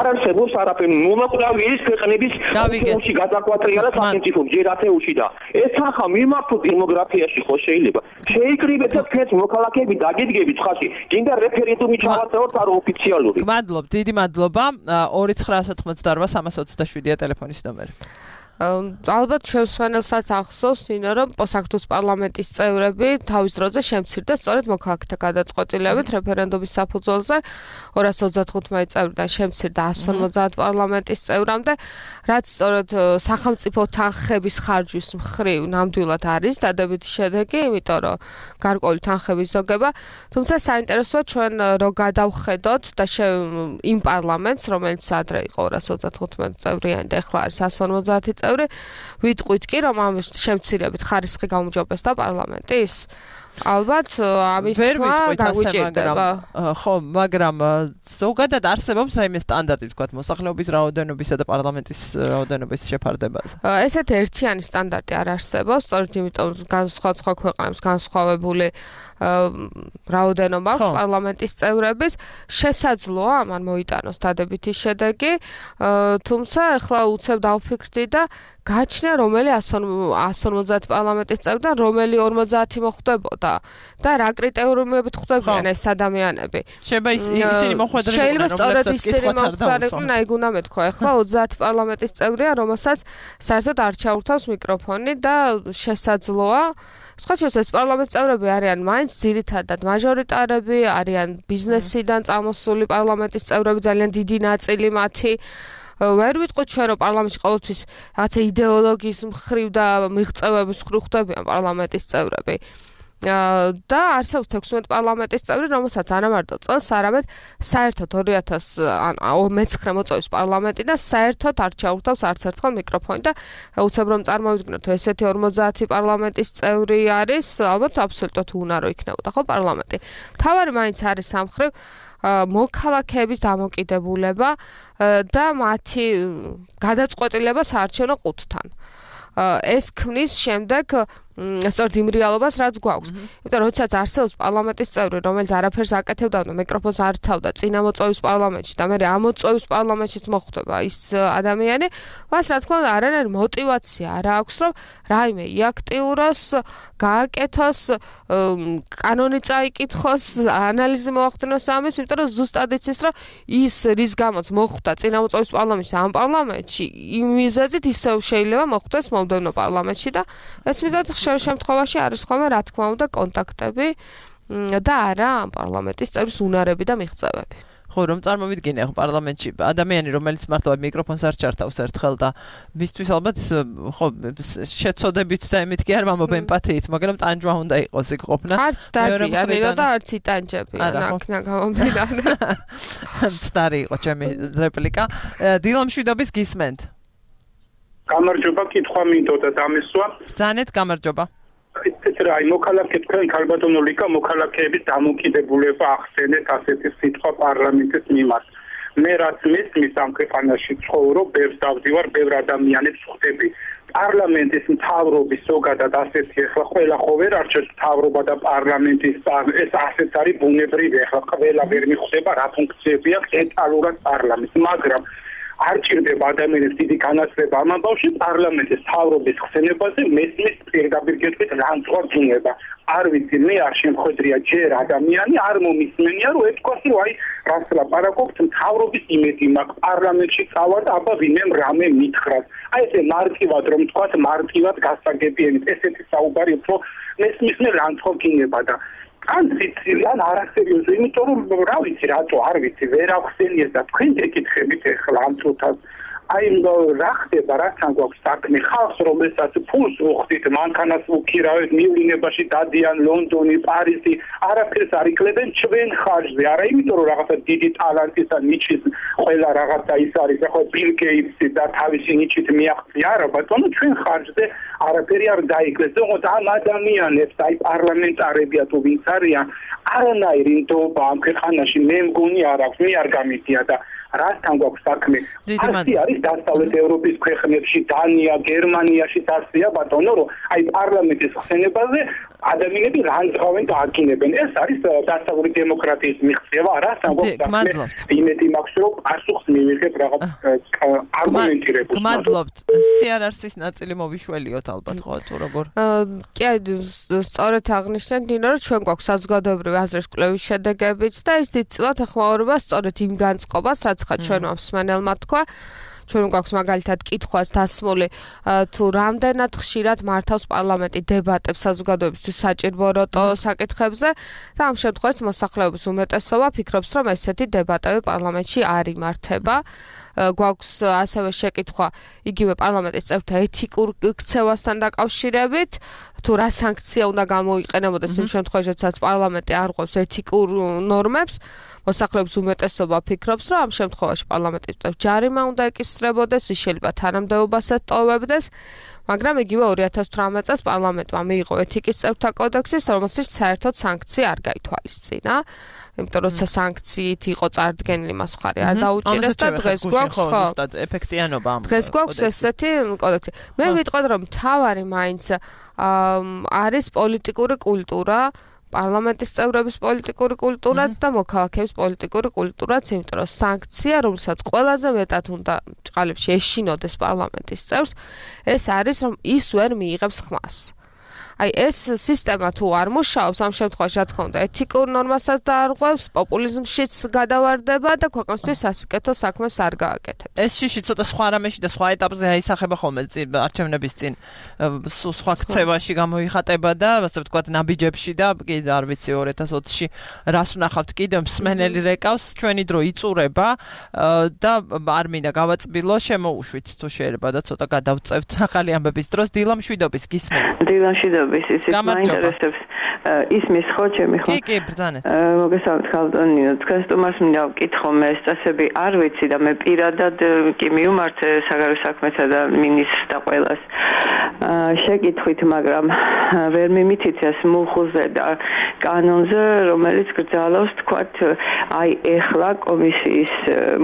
არ არსებობს არაფერი. მომაკვდავი ის ქვეყნების ეთეუში გადაკვატრია და სახელმწიფო ჯერ ათეუში და ეს ახლა მიმართო დემოგრაფიაში ხო შეიძლება. შეიკრიბეთ და თქვენს მოქალაქეები დაგიდგებით ხალხი. გინდა რეფერენდუმი ჩავატაროთ არ ოფიციალური. გმადლობ, დიდი მადლობა. 2988-327-ია ტელეფონის ნომერი. ალბათ შევსვენელსაც ახსოვს, რომ საქართველოს პარლამენტის წევრები თავის დროზე შემცირდა სწორედ მოქალაქეთა გადაწყვეტილებით რეფერენდუმის საფუძველზე 225 წევრიდან შემცირდა 150 პარლამენტის წევრამდე, რაც სწორედ სახელმწიფო თანხების ხარჯვის მხრივ ნამდვილად არის დადებითი შედეგი, იმიტომ რომ გარკვეული თანხების ზოგება, თუმცა საინტერესოა ჩვენ რო გადავხედოთ და იმ პარლამენტს, რომელიც ადრე იყო 225 წევრიანი და ახლა არის 150 წევრი, ვიტყვით კი რომ ამ შემცირებით ხარისხი გაუმჯობესდა პარლამენტის. ალბათ ამის თქმა გაგვიჭირდება. ხო, მაგრამ ზოგადად არსებობს რაიმე სტანდარტი, თქვათ, მოსახლეობის რაოდენობისა და პარლამენტის რაოდენობის შეფარდებაზე. ესეთი ერთიანი სტანდარტი არ არსებობს, სწორედ იმიტომ სხვა ქვეყნებს განსხვავებული რაოდენობა აქვს პარლამენტის წევრების, შესაძლოა ამან მოიტანოს დადებითი შედეგი, თუმცა ახლა უცებ დავფიქრდი და გაჩნია რომელი 150 პარლამენტის წევრიდან რომელი 50 მოხვდებოდა და რა კრიტერიუმებით ხვდებიან ეს ადამიანები. შეიძლება ისინი მოხვედრილიყვნენ, შეიძლება სწორედ ისინი მოხვდარიყვნენ, აი გუნა მეთქვა, ახლა 30 პარლამენტის წევრია, რომელსაც საერთოდ არ ჩაურთავს მიკროფონი და შესაძლოა სხვა ეს პარლამენტის წევრები არიან მაინც ძირითადად მაჟორიტარები, არიან ბიზნესიდან წამოსული პარლამენტის წევრები, ძალიან დიდი ნაწილი მათი. ვერ ვიტყვით ჩვენ რომ პარლამენტში ყოველთვის რაღაცა იდეოლოგიის მხრივ და მიღწევების მხრივ ხვდებიან პარლამენტის წევრები. და არსებობს 16 პარლამენტის წევრი, რომელსაც არამარტო წელს, არამედ საერთოდ 2019 მოწვევის პარლამენტი და საერთოდ არ ჩაურთავს არც ერთხელ მიკროფონი და უცებ რომ წარმოვიდგინოთ, ესეთი 50 პარლამენტის წევრი არის, ალბათ აბსოლუტურად უნარო იქნებოდა ხო პარლამენტი. თავარი მაინც არის სამხრივ მოქალაქეების დამოკიდებულება და მათი გადაწყვეტილება საარჩევნო ყუთთან. ეს ქმნის შემდეგ სწორედ იმ რეალობას, რაც გვაქვს. იმიტომ რომ როდესაც არსებობს პარლამენტის წევრი, რომელიც არაფერს აკეთებდა, მიკროფონს არ თავდა, წინა მოწვევის პარლამენტში და მე ამოწვევის პარლამენტშიც მოხვდება ის ადამიანი, მას რა თქმა უნდა არანაირი мотиваცია არ აქვს, რომ რაიმე იაქტიუროს, გააკეთოს, კანონი წაიკითხოს, ანალიზი მოახდინოს ამის, იმიტომ რომ ზუსტად იცის, რომ ის რის გამოც მოხვდა წინა მოწვევის პარლამენტში, ამ პარლამენტში, იმ მიზეზით ისევ შეიძლება მოხვდეს მომდევნო პარლამენტში და ეს მიზეზით შემთხვევაში არის ხოლმე რა თქმა უნდა კონტაქტები და არა ამ პარლამენტის წევრის უნარები და მიღწევები. ხო, რომ წარმოვიდგინე პარლამენტში ადამიანი, რომელიც მართლა მიკროფონს არ ჩართავს ერთხელ და მისთვის ალბათ ხო შეცოდებით და იმით კი არ მომობ ემპათიით, მაგრამ ტანჯვა უნდა იყოს იქ ყოფნა. არც დაგი არისო და არც იტანჯებიან აქნა გამომდინარე. ცდარი იყო ჩემი რეპლიკა. დილა მშვიდობის გისმენთ. გამარჯობა, კითხვა მინდოდა დამესვა. ბრძანეთ, გამარჯობა. ეს რა, მოქალაქე თქვენ ქალბატონო ლიკა მოქალაქეების დამოკიდებულება ახსენეთ ასეთი სიტყვა პარლამენტის მიმართ. მე რაც მესმის ამ ქვეყანაში ცხოვრობ, ბევრს დავდივარ, ბევრ ადამიანებს ხვდები. პარლამენტის მთავრობის ზოგადად ასეთი ახლა ყველა ხო ვერ არჩევს მთავრობა და პარლამენტის ეს ასეც არის ბუნებრივი, ახლა ყველა ვერ მიხვდება რა ფუნქციები აქვს ცენტრალურად პარლამენტს, მაგრამ არ ჭირდება ადამიანებს დიდი განათლება ამ ამბავში პარლამენტის მთავრობის ხსენებაზე მესმის პირდაპირ გეტყვით რამწვა გინება. არ ვიცი, მე არ შემხედრია ჯერ ადამიანი არ მომისმენია რომ ეთქვას რომ აი რას ლაპარაკობთ მთავრობის იმედი მაქვს პარლამენტში წავალ და აბა ვინმე რამე მითხრას. აი ესე მარტივად რომ თქვათ მარტივად გასაგებიენით ესეთი საუბარი უფრო მესმის მე რამწვა გინება და ან სიცილიან არასერიოზული, იმიტომ რომ რა ვიცი რატო არ ვიცი ვერ ახსენიეს და თქვენ გეკითხებით ახლა ამ წუთას აი რა ხდება რასთან გვაქვს საქმე ხალხს რომელსაც ფულს უხდით მანქანას უქირავეთ მივლინებაში დადიან ლონდონი პარიზი არაფერს არ იკლებენ ჩვენ ხარჯზე არა იმიტომ რომ რაღაცა დიდი ტალანტისა ნიჩის ყველა რაღაცა ის არის ახლა ბილ გეიტსი და თავისი ნიჩით მიაღწია არა ბატონო ჩვენ ხარჯზე არაფერი არ დაიკლეს თუმცა ამ ადამიანებს აი პარლამენტარებია თუ ვინც არიან არანაირი ნდობა ამ ქვეყანაში მე მგონი არ აქვს მე არ გამიდია და რასთან გვაქვს საქმე? ასი არის დასავლეთ ევროპის ქვეყნებში, დანია, გერმანიაში ასია ბატონო, რომ აი პარლამენტის ხსენებაზე ადამიანები რანძღავენ და აკინებენ. ეს არის დასავლური დემოკრატიის მიღწევა, რასთან გვაქვს საქმე? იმედი მაქვს, რომ პასუხს მივიღებ რაღაც არგუმენტირებულ. გმადლობთ. სიარარსის ნაწილი მოვიშველიოთ ალბათ ხო თუ როგორ? კი, სწორედ აღნიშნეთ დინო, რომ ჩვენ გვაქვს საზოგადოებრივი აზრის კვლევის შედეგებიც და ის დიდწილად ეხმაურება სწორედ იმ განწყობას, რაც ხა ჩვენ მსმენელმა თქვა ჩვენ გვაქვს მაგალითად კითხვას დასმული თუ რამდენად ხშირად მართავს პარლამენტი დებატებს საზოგადოებისთვის საჭირო როტო საკითხებზე და ამ შემთხვევაში მოსახლეობის უმეტესობა ფიქრობს რომ ესეთი დებატები პარლამენტში არ იმართება გვაქვს ასევე შეკითხვა იგივე პარლამენტის წევრთა ეთიკურ ქცევასთან დაკავშირებით თუ რა სანქცია უნდა გამოიყენებოდეს იმ შემთხვევაში როდესაც პარლამენტი არ ღვევს ეთიკურ ნორმებს მოსახლეობის უმეტესობა ფიქრობს რომ ამ შემთხვევაში პარლამენტის წევრ ჯარიმა უნდა ეკისრებოდეს ის შეიძლება თანამდებობას ეტოვებდეს მაგრამ იგივე 2018 წელს პარლამენტმა მიიღო ეთიკის წევრთა კოდექსი რომელშიც საერთოდ სანქცია არ გაითვალისწინა იმიტომ რომ სანქციით იყო წარდგენილი მას მხარი არ დაუჭირეს და დღეს გვაქვს ხო ეფექტიანობა ამ დღეს გვაქვს ესეთი კოდექსი მე ვიტყოდ რომ მთავარი მაინც არის პოლიტიკური კულტურა პარლამენტის წევრების პოლიტიკური კულტურაც და მოქალაქეების პოლიტიკური კულტურაც, იმიტომ რომ სანქცია, რომელსაც ყველაზე მეტად უნდა ჭყალებში ეშინოდეს პარლამენტის წევრს, ეს არის რომ ის ვერ მიიღებს ხმას. აი ეს სისტემა თუ არ მუშაობს ამ შემთხვევაში რა თქმა უნდა ეთიკურ ნორმასაც დაარღვევს, პოპულიზმშიც გადავარდება და ქვეყნისთვის სასიკეთო საქმეს არ გააკეთებს. ეს შიში ცოტა სხვა რამეში და სხვა ეტაპზე აისახება ხოლმე არჩევნების წინ სხვა ქცევაში გამოიხატება და ასე ვთქვათ ნაბიჯებში და კიდე არ ვიცი 2020-ში რას ვნახავთ კიდე მსმენელი რეკავს ჩვენი დრო იწურება და არ მინდა გავაწბილო შემოუშვით თუ შეიძლება და ცოტა გადავწევთ ახალი ამბების დროს დილა მშვიდობის გისმენთ. დილა მშვიდობის ისიც მაინტერესებს ისმის ხო ჩემი ხო? კი, ბრძანეთ. მოგესალმებით ხალხონინო, თქვენ სტუმარს მინდა ვკითხო მე ეს წესები არ ვიცი და მე პირადად კი მივმართე საგარეო საქმეთა და მინისტრს და ყველას შეკითხვით, მაგრამ ვერ მიმითითეს მუხლზე და კანონზე, რომელიც გრძალავს თქვათ აი ეხლა კომისიის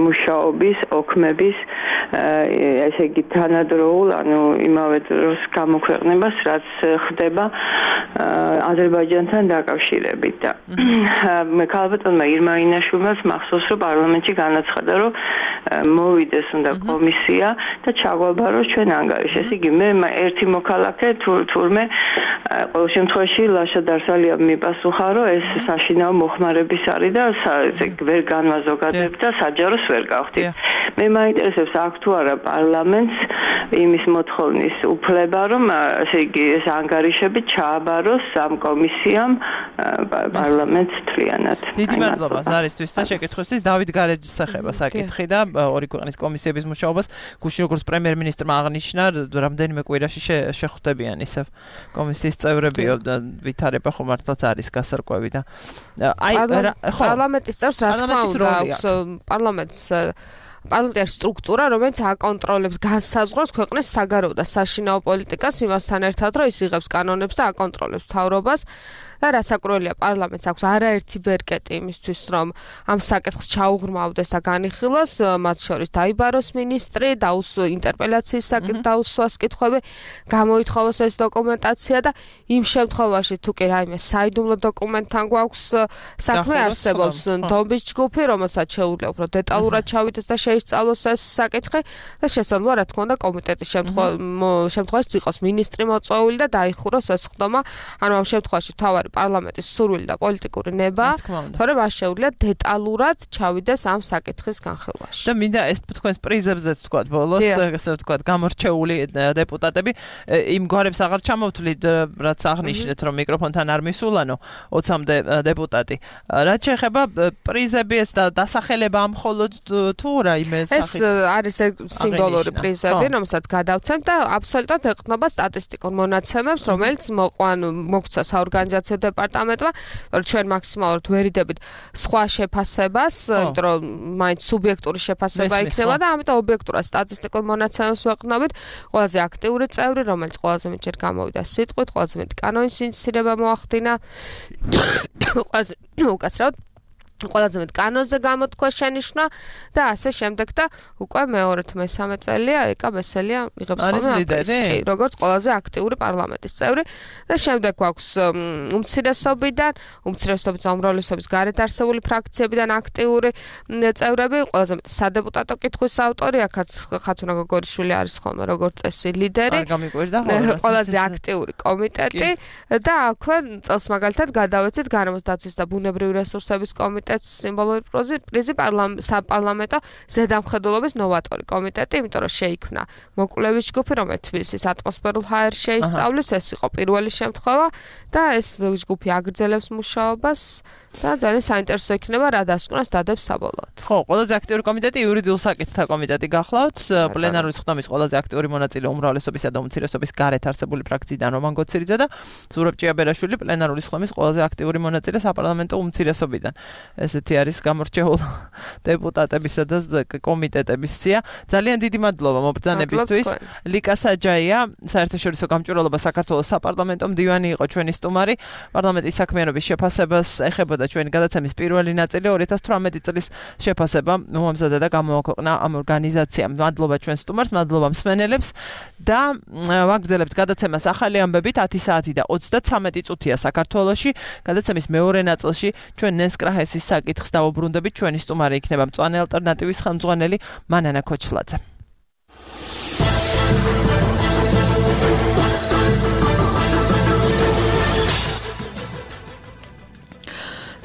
მუშაობის ოქმების ესე იგი თანადროულ, ანუ იმავე დროს გამოქვეყნებას, რაც ხდება აზერბაიჯანთან დაკავშირებით და მე ქალბატონმა ირმა ინაშვილმა მახსოვს რომ პარლამენტში განაცხადა რომ მოვიდეს უნდა კომისია და ჩაგვაბაროს ჩვენ ანგარიში. ესე იგი მე ერთი მოქალაქე თურმე ყოველ შემთხვევაში ლაშა დარსალია მიპასუხა რომ ეს საშინაო მოხმარების არის და ვერ განვაზოგადებ და საჯაროს ვერ გავხდით. მე მაინტერესებს აქ თუ არა პარლამენტს იმის მოთხოვნის უფლება რომ ესე იგი ეს ანგარიშები ჩააბაროს ამ კომისიამ პარლამენტს თლიანად. დიდი მადლობა ზარისთვის და შეკითხვისთვის. დავით გარეჯის სახება საკითხი და ორი ქვეყნის კომისიების მუშაობას გუშინ როგორც პრემიერ-მინისტრმა აღნიშნა, რამდენიმე კვირაში შეხვდებიან ისევ კომისიის წევრებიო და ვითარება ხომ მართლაც არის გასარკვევი და აი ხო პარლამენტის წევრს რა თქმა უნდა აქვს პარლამენტის სტრუქტურა, რომელიც აკონტროლებს განსაზღვრავს ქვეყნის საგარეო და საშინაო პოლიტიკას იმასთან ერთად, რომ ის იღებს კანონებს და აკონტროლებს მთავრობას. და რასაკურველია პარლამენტს აქვს არაერთი ბერკეტი იმისთვის, რომ ამ საკითხს ჩაუღრმავდეს და განიხილოს, მათ შორის დაიბაროს მინისტრი, ინტერპელაციის დაუსვას კითხვები, გამოითხოვოს ეს დოკუმენტაცია და იმ შემთხვევაში თუ კი რაიმე საიდუმლო დოკუმენტთან გვაქვს საქმე არსებობს დომბის ჯგუფი, რომელსაც შეუძლია უფრო დეტალურად ჩავიდეს და შეისწავლოს ეს საკითხი და შესაძლოა რა თქმა უნდა კომიტეტის შემთხვევაში იყოს მინისტრი მოწვეული და დაიხუროს ეს ხდომა, ანუ ამ შემთხვევაში თავარი პარლამენტის სურვილი და პოლიტიკური ნება, თორემ მას შეუძლია დეტალურად ჩავიდეს ამ საკითხის განხილვაში. და მინდა ეს თქვენს პრიზებზეც თქვა ბოლოს, ესე ვთქვათ, გამორჩეული დეპუტატები იმ გვარებს აღარ ჩამოვთვლით, რაც აღნიშნეთ, რომ მიკროფონთან არ მისულანო 20-მდე დეპუტატი. რაც შეეხება პრიზები ეს დასახელება ამ მხოლოდ თუ რაიმე ეს სახით არის სიმბოლური პრიზები, რომელსაც გადავცემთ და აბსოლუტურად ეყრდნობა სტატისტიკურ მონაცემებს, რომელიც მოგვცა საორგანიზაციო დეპარტამენტმა, რომ ჩვენ მაქსიმალურად ვერიდებით სხვა შეფასებას, იმიტომ რომ მაინც სუბიექტური შეფასება იქნება და ამიტომ ობიექტურად სტატისტიკურ მონაცემებს ვეყრდნობით. ყველაზე აქტიური წევრი, რომელიც ყველაზე მეტჯერ გამოვიდა სიტყვით, ყველაზე მეტი კანონის ინიცირება მოახდინა, ყველაზე უკაცრავად ყველაზე მეტ კანონზე გამოთქვა შენიშვნა და ასე შემდეგ და უკვე მეორე თუ მესამე წელია ეკა ბესელია იღებს ხოლმე როგორც ყველაზე აქტიური პარლამენტის წევრი და შემდეგ გვაქვს უმცირესობიდან უმრავლესობის გარეთ არსებული ფრაქციებიდან აქტიური წევრები, ყველაზე მეტ სადეპუტატო კითხვის ავტორი, აქაც ხათუნა გოგორიშვილი არის ხოლმე როგორც წესი ლიდერი, ყველაზე აქტიური კომიტეტი და აქვე წელს მაგალითად გადავეცით გარემოს დაცვის და ბუნებრივი რესურსების კომიტეტი სიმბოლური პრიზი საპარლამენტო ზედამხედველობის ნოვატორი კომიტეტი, იმიტომ რომ შეიქმნა მოკვლევის ჯგუფი, რომელიც თბილისის ატმოსფერულ ჰაერს შეისწავლის, ეს იყო პირველი შემთხვევა და ეს ჯგუფი აგრძელებს მუშაობას და ძალიან საინტერესო იქნება რა დასკვნას დადებს საბოლოოდ. ხო, ყველაზე აქტიური კომიტეტი იურიდიულ საკითხთა კომიტეტი გახლავთ, პლენარული ხდომის ყველაზე აქტიური მონაწილე უმრავლესობისა და უმცირესობის გარეთ არსებული ფრაქციიდან რომან გოცირიძე და ზურაბ ჭიაბერაშვილი პლენარული ხდომის ყველაზე აქტიური მონაწილე საპარლამენტო უმცირესობიდან. ესეთი არის გამორჩეული დეპუტატებისა და კომიტეტების სია. ძალიან დიდი მადლობა მობრძანებისთვის. ლიკა საჯაია, საერთაშორისო გამჭვირვალობა საქართველოს საპარლამენტო მდივანი იყო ჩვენი სტუმარი. პარლამენტის საქმიანობის შეფასებას ეხებოდა ჩვენი გადაცემის პირველი ნაწილი 2018 წლის შეფასება მოამზადა და გამოაქვეყნა ამ ორგანიზაციამ. მადლობა ჩვენ სტუმარს, მადლობა მსმენელებს და ვაგრძელებთ გადაცემას ახალი ამბებით 10 საათი და 33 წუთია საქართველოში. გადაცემის მეორე ნაწილში ჩვენ ნესკრაჰესის საკითხს დავუბრუნდებით, ჩვენი სტუმარი იქნება მწვანე ალტერნატივის ხელმძღვანელი მანანა ქოჩლაძე.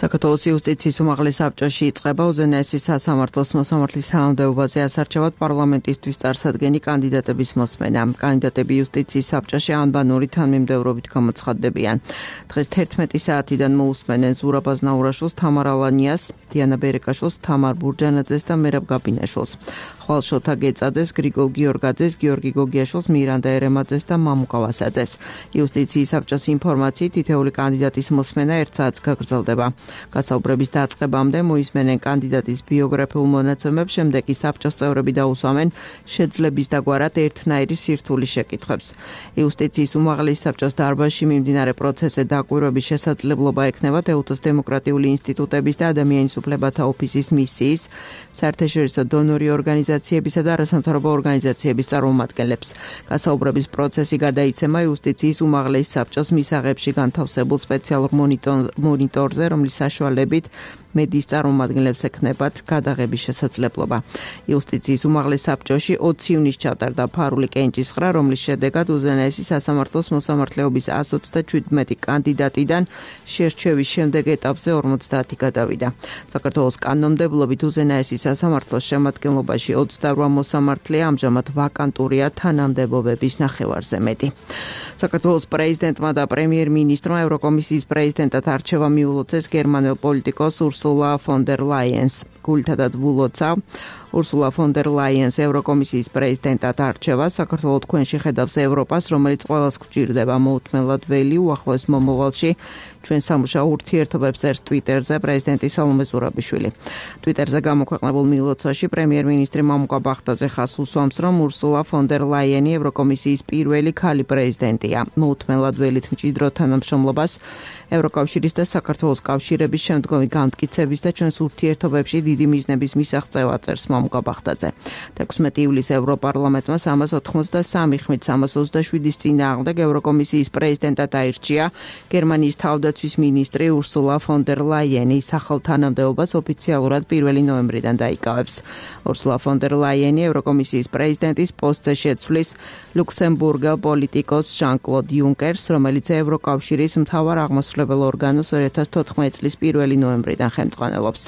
საქართველოს იუსტიციის უმაღლეს საბჭოში იწყება უზენაესი სასამართლოს მოსამართლის თანამდებობაზე ასარჩევად პარლამენტისთვის წარსადგენი კანდიდატების მოსმენა. კანდიდატები იუსტიციის საბჭოში ანბანური თანმიმდევრობით გამოცხადდებიან. დღეს 11 საათიდან მოусმენენ ზურაბ აზნაურაშვილს, თამარ ალანიას, დიანა ბერეკაშვილს, თამარ ბურჯანაძეს და მერაბ გაბინაშვილს. ხვალ შოთა გეწაძეს, გრიგოლ გიორგაძეს, გიორგი გოგიაშვილს, მირანდა ერემაძეს და მამუკა ვასაძეს. იუსტიციის საბჭოს ინფორმაციით თითეული კანდიდატის მოსმენა 1 საათს გაგრძელდება. გასაუბრების დაწყებამდე მოისმენენ კანდიდატის ბიოგრაფიულ მონაცემებს, შემდეგ კი საბჭოს წევრები დაუსვამენ შეძლების დაგვარად ერთნაირი სირთულის შეკითხვებს. იუსტიციის უმაღლეს საბჭოს დარბაზში მიმდინარე პროცესზე დაკვირვების შესაძლებლობა ექნება თეუთოს დემოკრატიული ინსტიტუტების და ადამიანის უფლებათა ოფისის მისიის, საერთაშორისო დონორი ორგანიზაციებისა და არასამთავრობო ორგანიზაციების წარმომადგენლებს. გასაუბრების პროცესი გადაიცემა იუსტიციის უმაღლეს საბჭოს მისაღებში განთავსებულ სპეციალურ მონიტორზე, რომლის საშუალებით მედიის წარმომადგენლებს ექნებათ გადაღების შესაძლებლობა. იუსტიციის უმაღლეს საბჭოში 20 ივნისს ჩატარდა ფარული კენჭისყრა, რომლის შედეგად უზენაესი სასამართლოს მოსამართლეობის 127 კანდიდატიდან შერჩევის შემდეგ ეტაპზე 50 გადავიდა. საქართველოს კანონმდებლობით უზენაესი სასამართლოს შემადგენლობაში 28 მოსამართლეა, ამჟამად ვაკანტურია თანამდებობების ნახევარზე მეტი. საქართველოს პრეზიდენტმა და პრემიერ-მინისტრმა ევროკომისიის პრეზიდენტად არჩევა მიულოცეს გერმანელ პოლიტიკოს Ursula von der Leyen's. გულთადად ვულოცა Ursula von der Leyen's ევროკომისიის პრეზიდენტად არჩევა საქართველოს თქვენში ხედავს ევროპას, რომელიც ყველას გვჭირდება მოუთმენლად ველი უახლოეს მომავალში ჩვენ სამუშაო ურთიერთობებს წერს Twitter-ზე პრეზიდენტი სალომე ზურაბიშვილი. Twitter-ზე გამოქვეყნებულ მილოცვაში პრემიერ-მინისტრი მამუკა ბახტაძე ხაზს უსვამს, რომ Ursula von der Leyen ევროკომისიის პირველი ქალი პრეზიდენტია. მოუთმენლად ველით მჭიდრო თანამშრომლობას ევროკავშირის და საქართველოს კავშირების შემდგომი განმტკიცების და ჩვენს ურთიერთობებში დიდი მიზნების მისაღწევად წერს მამუკა ბახტაძე. 16 ივლისს ევროპარლამენტმა 383 ხმით 327-ის წინააღმდეგ ევროკომისიის პრეზიდენტად აირჩია გერმანიის თავდაცვის მინისტრი Ursula von der Leyen-ი. სახელთანამდებობას ოფიციალურად 1 ნოემბრიდან დაიკავებს. Ursula von der Leyen-ი ევროკომისიის პრეზიდენტის პოსტზე შეცვლის ლუქსემბურგელ პოლიტიკოს ჟან-კლოდ იუნკერს, რომელიც ევროკავშირის მთავარ აღმასრულებელ ორგანოს 2014 წლის 1 ნოემბრიდან ხელმძღვანელობს.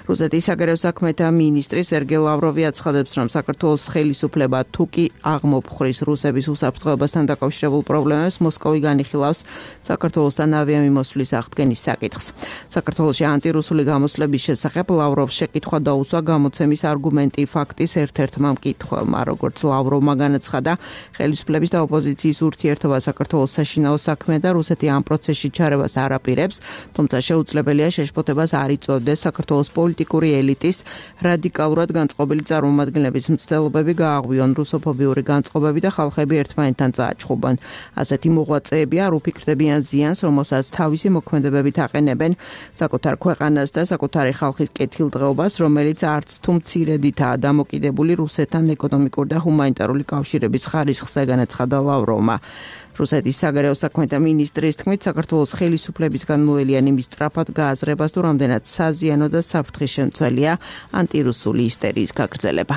რუსეთის საგარეო საქმეთა მინისტრი სერგეი ლავროვი აცხადებს, რომ საქართველოს ხელისუფლება თუ კი აღმოფხრის რუსების უსაფრთხოებასთან დაკავშირებულ პრობლემებს, მოსკოვი განიხილავს საქართველოსთან ავიამიმოსვლის აღდგენის საკითხს. საქართველოში ანტირუსული გამოსვლების შესახებ ლავროვს შეკითხვა დაუსვა გამოცემის არგუმენტი ფაქტის ერთ-ერთმა მკითხველმა. როგორც ლავროვმა განაცხადა, ხელისუფლების და ოპოზიციის ურთიერთობა საქართველოს საშინაო საქმე და რუსეთი ამ პროცესში ჩარევას არ აპირებს, თუმცა შეუძლებელია შეშფოთებას არ იწვევდეს საქართველოს პოლიტიკური ელიტის რადიკალურად განწყობილი წარმომადგენლების მცდელობები გააღვიონ რუსოფობიური განწყობები და ხალხები ერთმანეთთან წააჩხუბონ. ასეთი მოღვაწეები არ უფიქრდებიან ზიანს, რომელსაც თავისი მოქმედებებით აყენებენ საკუთარ ქვეყანას და საკუთარი ხალხის კეთილდღეობას, რომელიც არც თუ მცირედითაა დამოკიდებული რუსეთთან ეკონომიკური და ჰუმანიტარული კავშირების ხარისხზე, განაცხადა ლავროვმა. რუსეთის საგარეო საქმეთა მინისტრის თქმით, საქართველოს ხელისუფლებისგან მოელიან იმის სწრაფად გააზრებას, თუ რამდენად საზიანო და საფრთხის შემცველია ანტირუსული ისტერიის გაგრძელება.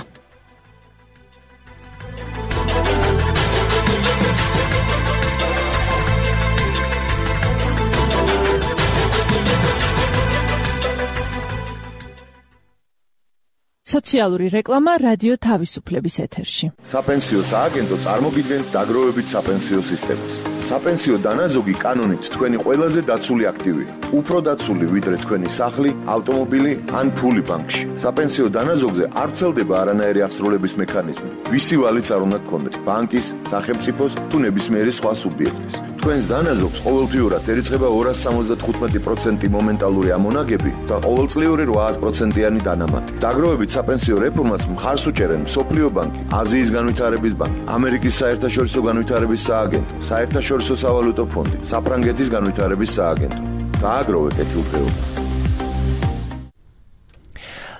სოციალური რეკლამა რადიო თავისუფლების ეთერში. საპენსიო სააგენტო წარმოგიდგენთ დაგროვებით საპენსიო სისტემას. საპენსიო დანაზოგი კანონით თქვენი ყველაზე დაცული აქტივია. უფრო დაცული ვიდრე თქვენი სახლი, ავტომობილი ან ფული ბანკში. საპენსიო დანაზოგზე არ ვრცელდება არანაირი აღსრულების მექანიზმი. ვისი ვალიც არ უნდა გქონდეთ, ბანკის, სახელმწიფოს თუ ნებისმიერი სხვა სუბიექტის. თქვენს დანაზოგს ყოველთვიურად ერიცხება 275% მომენტალური ამონაგები და ყოველწლიური 8%-იანი დანამატი. დაგროვებით საპენსიო რეფორმას მხარს უჭერენ მსოფლიო ბანკი, აზიის განვითარების ბანკი, ამერიკის საერთაშორისო განვითარების სააგენტო, საერთაშორისო სავალუტო ფონდი, საფრანგეთის განვითარების სააგენტო. გააგროვე კეთილდღეობა.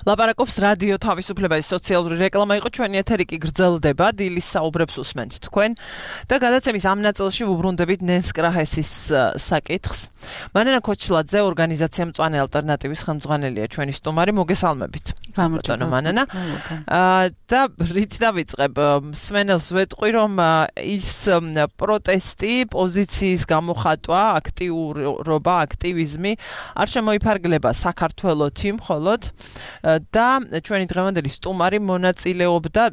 ლაპარაკობს რადიო თავისუფლება სოციალური რეკლამა იყო ჩვენი ეთერი კი გრძელდება დილის საუბრებს უსმენთ თქვენ და გადაცემის ამ ნაწილში ვუბრუნდებით ნენს კრაჰესის საკითხს. მანენა ქოჩლაძე ორგანიზაცია მწვანე ალტერნატივის ხელმძღვანელია ჩვენი სტუმარი მოგესალმებით. ბატონო მანენა. და რით დავიწყებ მსმენელს ვეტყვი რომ ის პროტესტი პოზიციის გამოხატვა აქტიურობა აქტივიზმი არ შემოიფარგლება საქართველოთი მხოლოდ და ჩვენი დღევანდელი სტუმარი მონაწილეობდა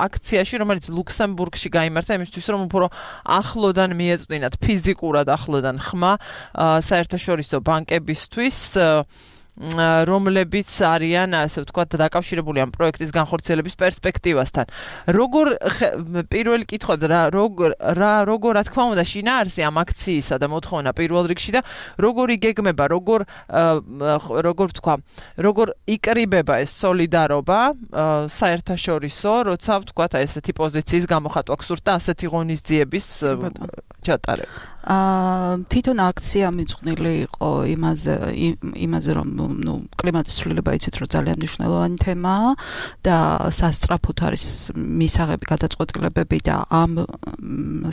აქციაში, რომელიც ლუქსემბურგში გაიმართა იმისთვის, რომ უფრო ახლოდან მიეწვდინათ ფიზიკურად ახლოდან ხმა საერთაშორისო ბანკებისთვის, რომლებიც არიან, ასე ვთქვათ, დაკავშირებული ამ პროექტის განხორციელების პერსპექტივასთან. როგორ პირველი კითხვები როგორ რა თქმა უნდა შინაარსი ამ აქციისა და მოთხოვნა პირველ რიგში და როგორ იგეგმება, როგორ ვთქვა, როგორ იკრიბება ეს სოლიდარობა საერთაშორისო, როცა ვთქვათ, ესეთი პოზიციის გამოხატვა გსურთ და ასეთი ღონისძიების ჩატარება. თვითონ აქცია მიძღვნილი იყო იმაზე რომ კლიმატის ცვლილება იცით რომ ძალიან მნიშვნელოვანი თემაა და სასწრაფოდ არის მისაღები გადაწყვეტილებები და ამ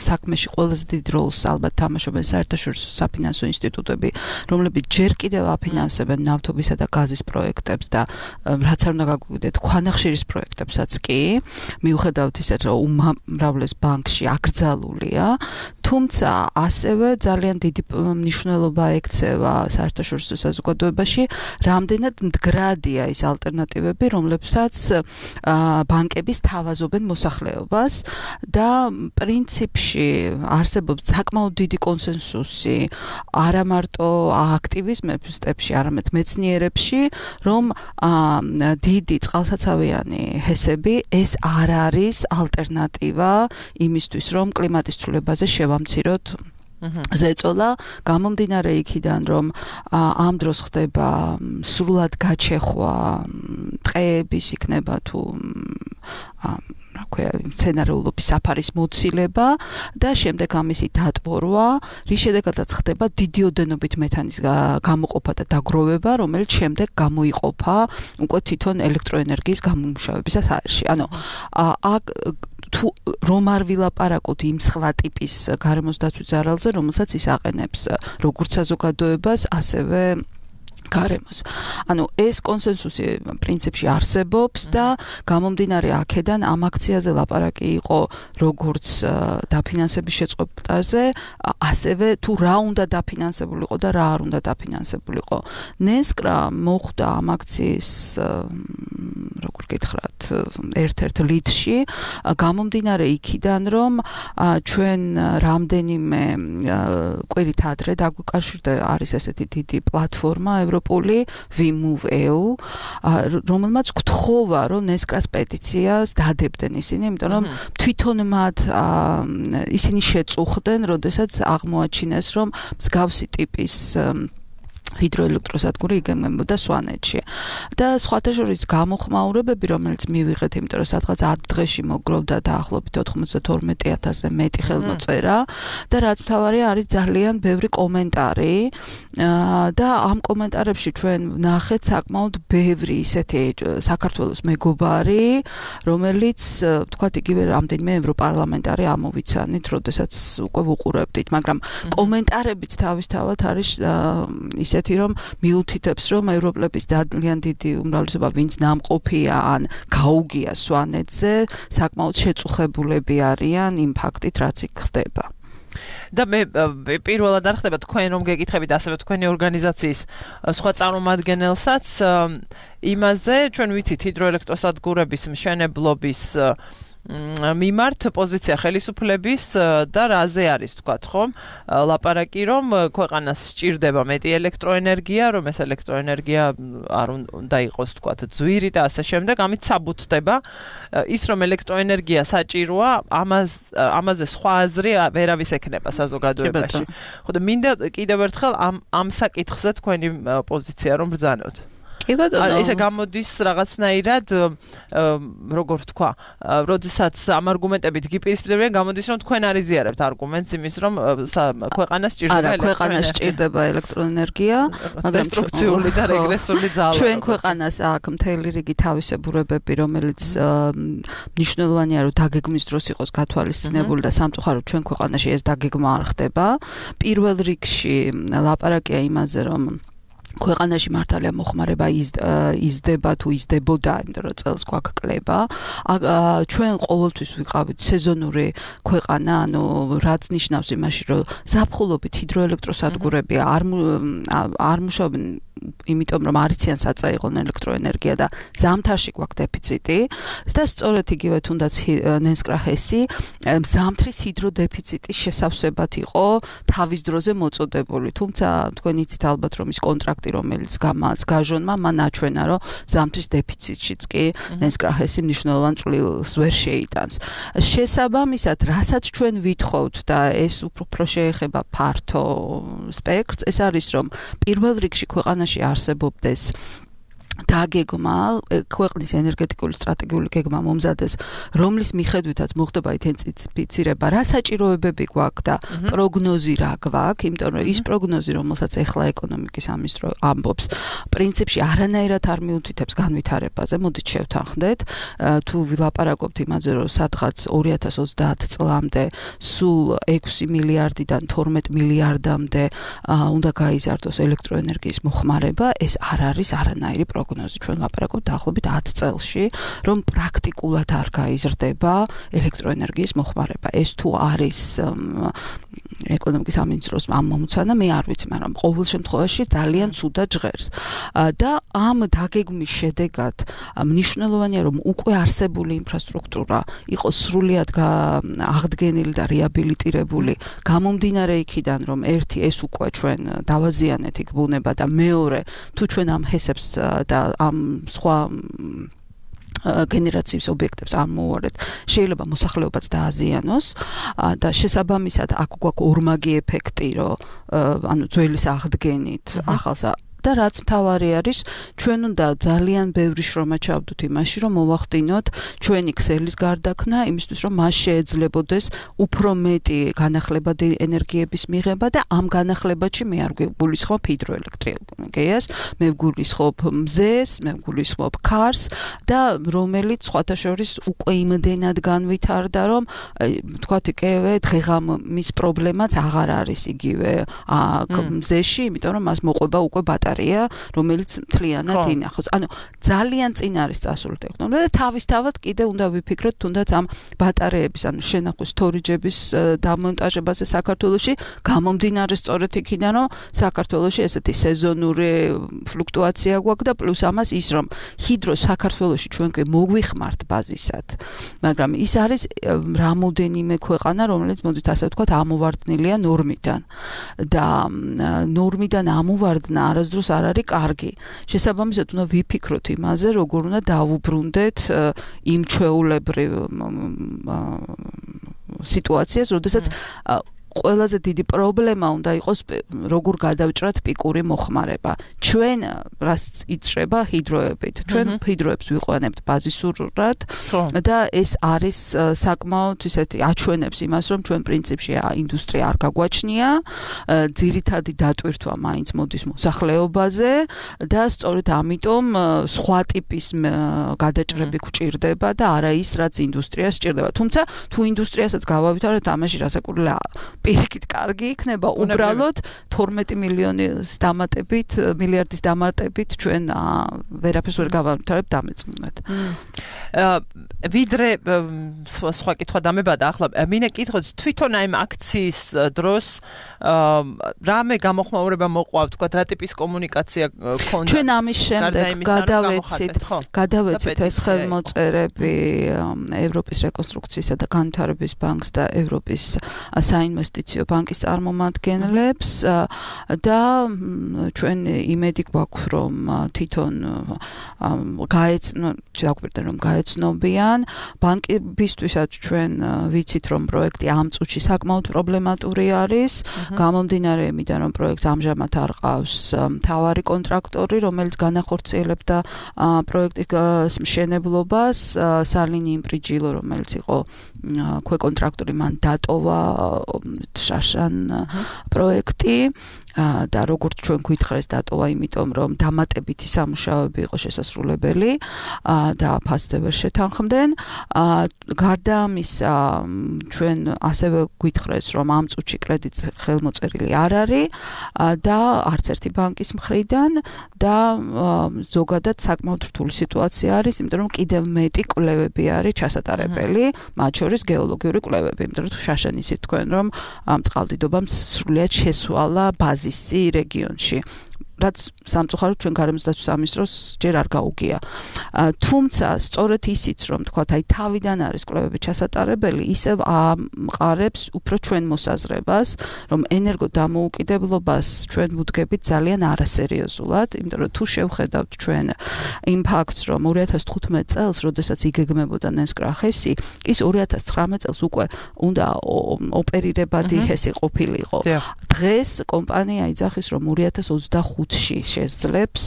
საქმეში ყველაზე დიდ როლს ალბათ თამაშობენ საერთაშორისო საფინანსო ინსტიტუტები, რომლებიც ჯერ კიდევ აფინანსებენ ნავთობისა და გაზის პროექტებს და რაც არ უნდა გაგვიგდეთ ქვანახშირის პროექტებსაც კი, მიუხედავად ისე რომ უმრავლეს ბანკში აკრძალულია, თუმცა ასევე ძალიან დიდი მნიშვნელობა ექცევა საერთაშორისო საზოგადოებაში, რამდენად მდგრადია ის ალტერნატივები, რომლებსაც ბანკების თავაზობენ მოსახლეობას და პრინციპში არსებობს საკმაოდ დიდი კონსენსუსი არა მარტო აქტივისტებში, არამედ მეცნიერებში, რომ დიდი წყალსაცავიანი ჰესები ეს არ არის ალტერნატივა იმისთვის, რომ კლიმატის ცვლილებაზე შევამციროთ ზეწოლა, გამომდინარე იქიდან, რომ ამ დროს ხდება სრულად გაჩეხვა ტყეების იქნება თუ მცენარეულობის საფარის მოცილება და შემდეგ ამისი დატბორვა, რის შედეგადაც ხდება დიდი ოდენობით მეთანის გამოყოფა და დაგროვება, რომელიც შემდეგ გამოიყოფა უკვე თვითონ ელექტროენერგიის გამომუშავებისას აერში. ანუ თუ რომ არ ვილაპარაკოთ იმ სხვა ტიპის გარემოს დაცვის ზარალზე, რომელსაც ის აყენებს როგორც საზოგადოებას, ასევე გარემოს. ანუ ეს კონსენსუსი პრინციპში არსებობს და გამომდინარე აქედან ამ აქციაზე ლაპარაკი იყო როგორც დაფინანსების შეწყვეტაზე, ასევე თუ რა უნდა დაფინანსებულიყო და რა არ უნდა დაფინანსებულიყო. ნესკრა მოხვდა ამ აქციის როგორ გითხრათ, ერთ-ერთ ლიდში, გამომდინარე იქიდან, რომ ჩვენ რამდენიმე კვირით ადრე დაგვიკავშირდა არის ესეთი დიდი პლატფორმა ევროპული WeMove.eu, რომელმაც გთხოვა, რომ ნესკრას პეტიციას დადებდნენ ისინი, იმიტომ რომ თვითონ მათ ისინი შეწუხდნენ, როდესაც აღმოაჩინეს, რომ მსგავსი ტიპის ჰიდროელექტროსადგური იგეგმებოდა სვანეთში. და სხვათა შორის გამოხმაურებები, რომელიც მივიღეთ, იმიტომ რომ სადღაც 10 დღეში მოგროვდა დაახლოებით 92,000-ზე მეტი ხელმოწერა და რაც მთავარია არის ძალიან ბევრი კომენტარი და ამ კომენტარებში ჩვენ ვნახეთ საკმაოდ ბევრი ისეთი საქართველოს მეგობარი, რომელიც თქვათ იგივე რამდენიმე ევროპარლამენტარი ამოვიცანით, როდესაც უკვე ვუყურებდით, მაგრამ კომენტარებიც თავისთავად არის ისეთი რომ მიუთითებს, რომ ევროპელების ძალიან დიდი უმრავლესობა, ვინც ნამყოფია ან გაუგია სვანეთზე, საკმაოდ შეწუხებულები არიან იმ ფაქტით, რაც იქ ხდება. და მე პირველად არ ხდება თქვენ რომ გეკითხებით ასევე თქვენი ორგანიზაციის სხვა წარმომადგენელსაც იმაზე, ჩვენ ვიცით ჰიდროელექტროსადგურების მშენებლობის მიმართ პოზიცია ხელისუფლების და რაზე არის თქვათ ხომ ლაპარაკი რომ ქვეყანას სჭირდება მეტი ელექტროენერგია, რომ ეს ელექტროენერგია არ უნდა იყოს თქვათ ძვირი და ასე შემდეგ, ამით საბუთდება ის რომ ელექტროენერგია საჭიროა, ამაზე სხვა აზრი ვერავის ექნება საზოგადოებაში. ხო და მინდა კიდევ ერთხელ ამ საკითხზე თქვენი პოზიცია რომ ბრძანოთ. კი ბატონო. ესე გამოდის რაღაცნაირად როგორ ვთქვა, როდესაც ამ არგუმენტებით გიპირისპირებენ, გამოდის რომ თქვენ არ იზიარებთ არგუმენტს იმის რომ ქვეყანას სჭირდება ქვეყანას სჭირდება ელექტროენერგია, მაგრამ დესტრუქციული და რეგრესული ძალა. ჩვენ ქვეყანას აქვს მთელი რიგი თავისებურებები, რომელიც მნიშვნელოვანია რომ დაგეგმვის დროს იყოს გათვალისწინებული და სამწუხაროდ ჩვენ ქვეყანაში ეს დაგეგმა არ ხდება. პირველ რიგში ლაპარაკია იმაზე რომ ქვეყანაში მართალია მოხმარება იზრდება თუ იზრდებოდა, იმიტომ რომ წელს გვაქვს კლება. ჩვენ ყოველთვის ვიყავით სეზონური ქვეყანა, ანუ რაც ნიშნავს იმაში, რომ ზაფხულობით ჰიდროელექტროსადგურები არ მუშაობენ, იმიტომ რომ არ იციან საწაიღონ ელექტროენერგია და ზამთარში გვაქვს დეფიციტი და სწორედ იგივე თუნდაც ნენსკრახესი ზამთრის ჰიდროდეფიციტის შესავსებად იყო თავის დროზე მოწოდებული. თუმცა თქვენ იცით ალბათ რომ ის კონტრაქტი რომელიც გაჟონმა მან აჩვენა რომ ზამთრის დეფიციტშიც კი ნენსკრახესი მნიშვნელოვან წვლილს ვერ შეიტანს. შესაბამისად, რასაც ჩვენ ვითხოვთ და ეს უფრო შეეხება ფართო სპექტრს, ეს არის რომ პირველ რიგში ქვეყანაში არსებობდეს დაგეგმა, ქვეყნის ენერგეტიკული სტრატეგიული გეგმა მომზადეს, რომლის მიხედვითაც მოხდება ინტენსიფიცირება, რა საჭიროებები გვაქვს და პროგნოზი რა გვაქვს, იმიტომ რომ ის პროგნოზი, რომელსაც ეხლა ეკონომიკის სამინისტრო ამბობს, პრინციპში არანაირად არ მიუთითებს განვითარებაზე. მოდით შევთანხმდეთ, თუ ვილაპარაკობთ იმაზე, რომ სადღაც 2030 წლამდე სულ 6 მილიარდიდან 12 მილიარდამდე უნდა გაიზარდოს ელექტროენერგიის მოხმარება, ეს არ არის არანაირი პროგნოზი. ჩვენ ვაპარაკობთ დაახლოებით 10 წელში, რომ პრაქტიკულად არ გაიზრდება ელექტროენერგიის მოხმარება. ეს თუ არის ეკონომიკის სამინისტროს ამ მომცანა, მე არ ვიცი, მაგრამ ყოველ შემთხვევაში ძალიან ცუდად ჟღერს. და ამ დაგეგმვის შედეგად მნიშვნელოვანია, რომ უკვე არსებული ინფრასტრუქტურა იყოს სრულიად აღდგენილი და რეაბილიტირებული, გამომდინარე იქიდან, რომ ერთი ეს უკვე ჩვენ დავაზიანეთ იქ ბუნება და მეორე, თუ ჩვენ ამ ჰესებს და ამ სხვა გენერაციის ობიექტებს არ მოვუარეთ, შეიძლება მოსახლეობაც დააზიანოს და შესაბამისად აქ გვაქვს ორმაგი ეფექტი, რომ ანუ ძველის აღდგენით ახალსა და რაც მთავარი არის, ჩვენ უნდა ძალიან ბევრი შრომა ჩავდოთ იმაში, რომ მოვახდინოთ ჩვენი ქსელის გარდაქმნა, იმისთვის რომ მას შეეძლებოდეს უფრო მეტი განახლებადი ენერგიების მიღება და ამ განახლებაში მე არ გულისხმობ ჰიდროელექტრონიკას, მე ვგულისხმობ მზეს, მე ვგულისხმობ ქარს და რომელიც სხვათა შორის უკვე იმდენად განვითარდა, რომ თქვათ იგივე დღეღამის პრობლემაც აღარ არის იგივე მზეში, იმიტომ რომ მას მოყვება უკვე რომელიც მთლიანად ინახოს. ანუ ძალიან წინ არის წასული ტექნოლოგია და თავისთავად კიდე უნდა ვიფიქროთ თუნდაც ამ ბატარეების, ანუ შენახვის სტორიჯების დამონტაჟებაზე საქართველოში, გამომდინარე სწორედ იქიდან, რომ საქართველოში ესეთი სეზონური ფლუქტუაცია გვაქვს და პლუს ამას ის, რომ ჰიდრო საქართველოში ჩვენ კი მოგვიხმართ ბაზისად, მაგრამ ის არის რამოდენიმე ქვეყანა, რომელიც მოდით ასე ვთქვათ, ამოვარდნილია ნორმიდან და ნორმიდან ამოვარდნა არასდროს არ არის კარგი. შესაბამისად უნდა ვიფიქროთ იმაზე, როგორ უნდა დავუბრუნდეთ იმ ჩვეულებრივ სიტუაციას, როდესაც ყველაზე დიდი პრობლემა უნდა იყოს როგორ გადავჭრათ პიკური მოხმარება. ჩვენ რაც იწყება ჰიდროებით. ჩვენ ჰიდროებს ვიყვანებთ ბაზისურად და ეს არის საკმაოდ ისეთი აჩვენებს იმას, რომ ჩვენ პრინციპში ინდუსტრია არ გაგვაჩნია, ძირითადი დატვირთვა მაინც მოდის მოსახლეობაზე და სწორედ ამიტომ სხვა ტიპის გადაჭრები გვჭირდება და არა ის, რაც ინდუსტრიას სჭირდება. თუმცა თუ ინდუსტრიასაც გავავითარებთ, ამაში რასაკვირველია პირიქით კარგი იქნება, უბრალოდ 12 მილიონის დამატებით, მილიარდის დამატებით ჩვენ ვერაფერს ვერ გავავითარებთ დამეწმუნდეთ. ვიდრე სხვა კითხვა დამებადა, ახლა მინე კითხოთ თვითონ აი აქციის დროს რამე გამოხმაურება მოყვა, თქვა რა ტიპის კომუნიკაცია ქონდა? ჩვენ ამის შემდეგ გადავეცით ეს ხელმოწერები ევროპის რეკონსტრუქციისა და განვითარების ბანკს და ევროპის საინვესტო საინვესტიციო ბანკის წარმომადგენლებს და ჩვენ იმედი გვაქვს რომ თვითონ გაეცნობიან ბანკებისთვისაც ჩვენ ვიცით რომ პროექტი ამ წუთში საკმაოდ პრობლემატური არის გამომდინარე იმიდან რომ პროექტს ამჟამად არ ყავს მთავარი კონტრაქტორი რომელიც განახორციელებდა პროექტის მშენებლობას სალინი იმპრიჯილო რომელიც იყო ქვეკონტრაქტორი მან დატოვა შაშან პროექტი და როგორც ჩვენ გვითხრეს დატოვა იმიტომ რომ დამატებითი სამუშაოები იყო შესასრულებელი და ფასზე ვერ შეთანხმდნენ გარდა ამისა ჩვენ ასევე გვითხრეს რომ ამ წუთში კრედიტს ხელმოწერილი არ არის და არც ერთი ბანკის მხრიდან და ზოგადად საკმაოდ რთული სიტუაცია არის იმიტომ რომ კიდევ მეტი კვლევები არის ჩასატარებელი მათ შორის გეოლოგიური კვლევები იმიტომ რომ შაშან ისიც თქვენ რომ წყალდიდობამ სრულიად შესვალა ბაზისი რეგიონში რაც სამწუხაროდ ჩვენ გარემოსდაცვის სამინისტროს ჯერ არ გაუგია. თუმცა სწორედ ისიც რომ თქვათ აი თავიდან არის კვლევები ჩასატარებელი, ისევ ამყარებს უფრო ჩვენ მოსაზრებას, რომ ენერგო დამოუკიდებლობას ჩვენ ვუდგებით ძალიან არასერიოზულად, იმიტომ რომ თუ შევხედავთ ჩვენ იმ ფაქტს, რომ 2015 წელს, როდესაც იგეგმებოდა ნენსკრახესი, ის 2019 წელს უკვე უნდა ოპერირებადი ჰესი ყოფილიყო. დღეს კომპანია იძახის, რომ 2025-ში შეძლებს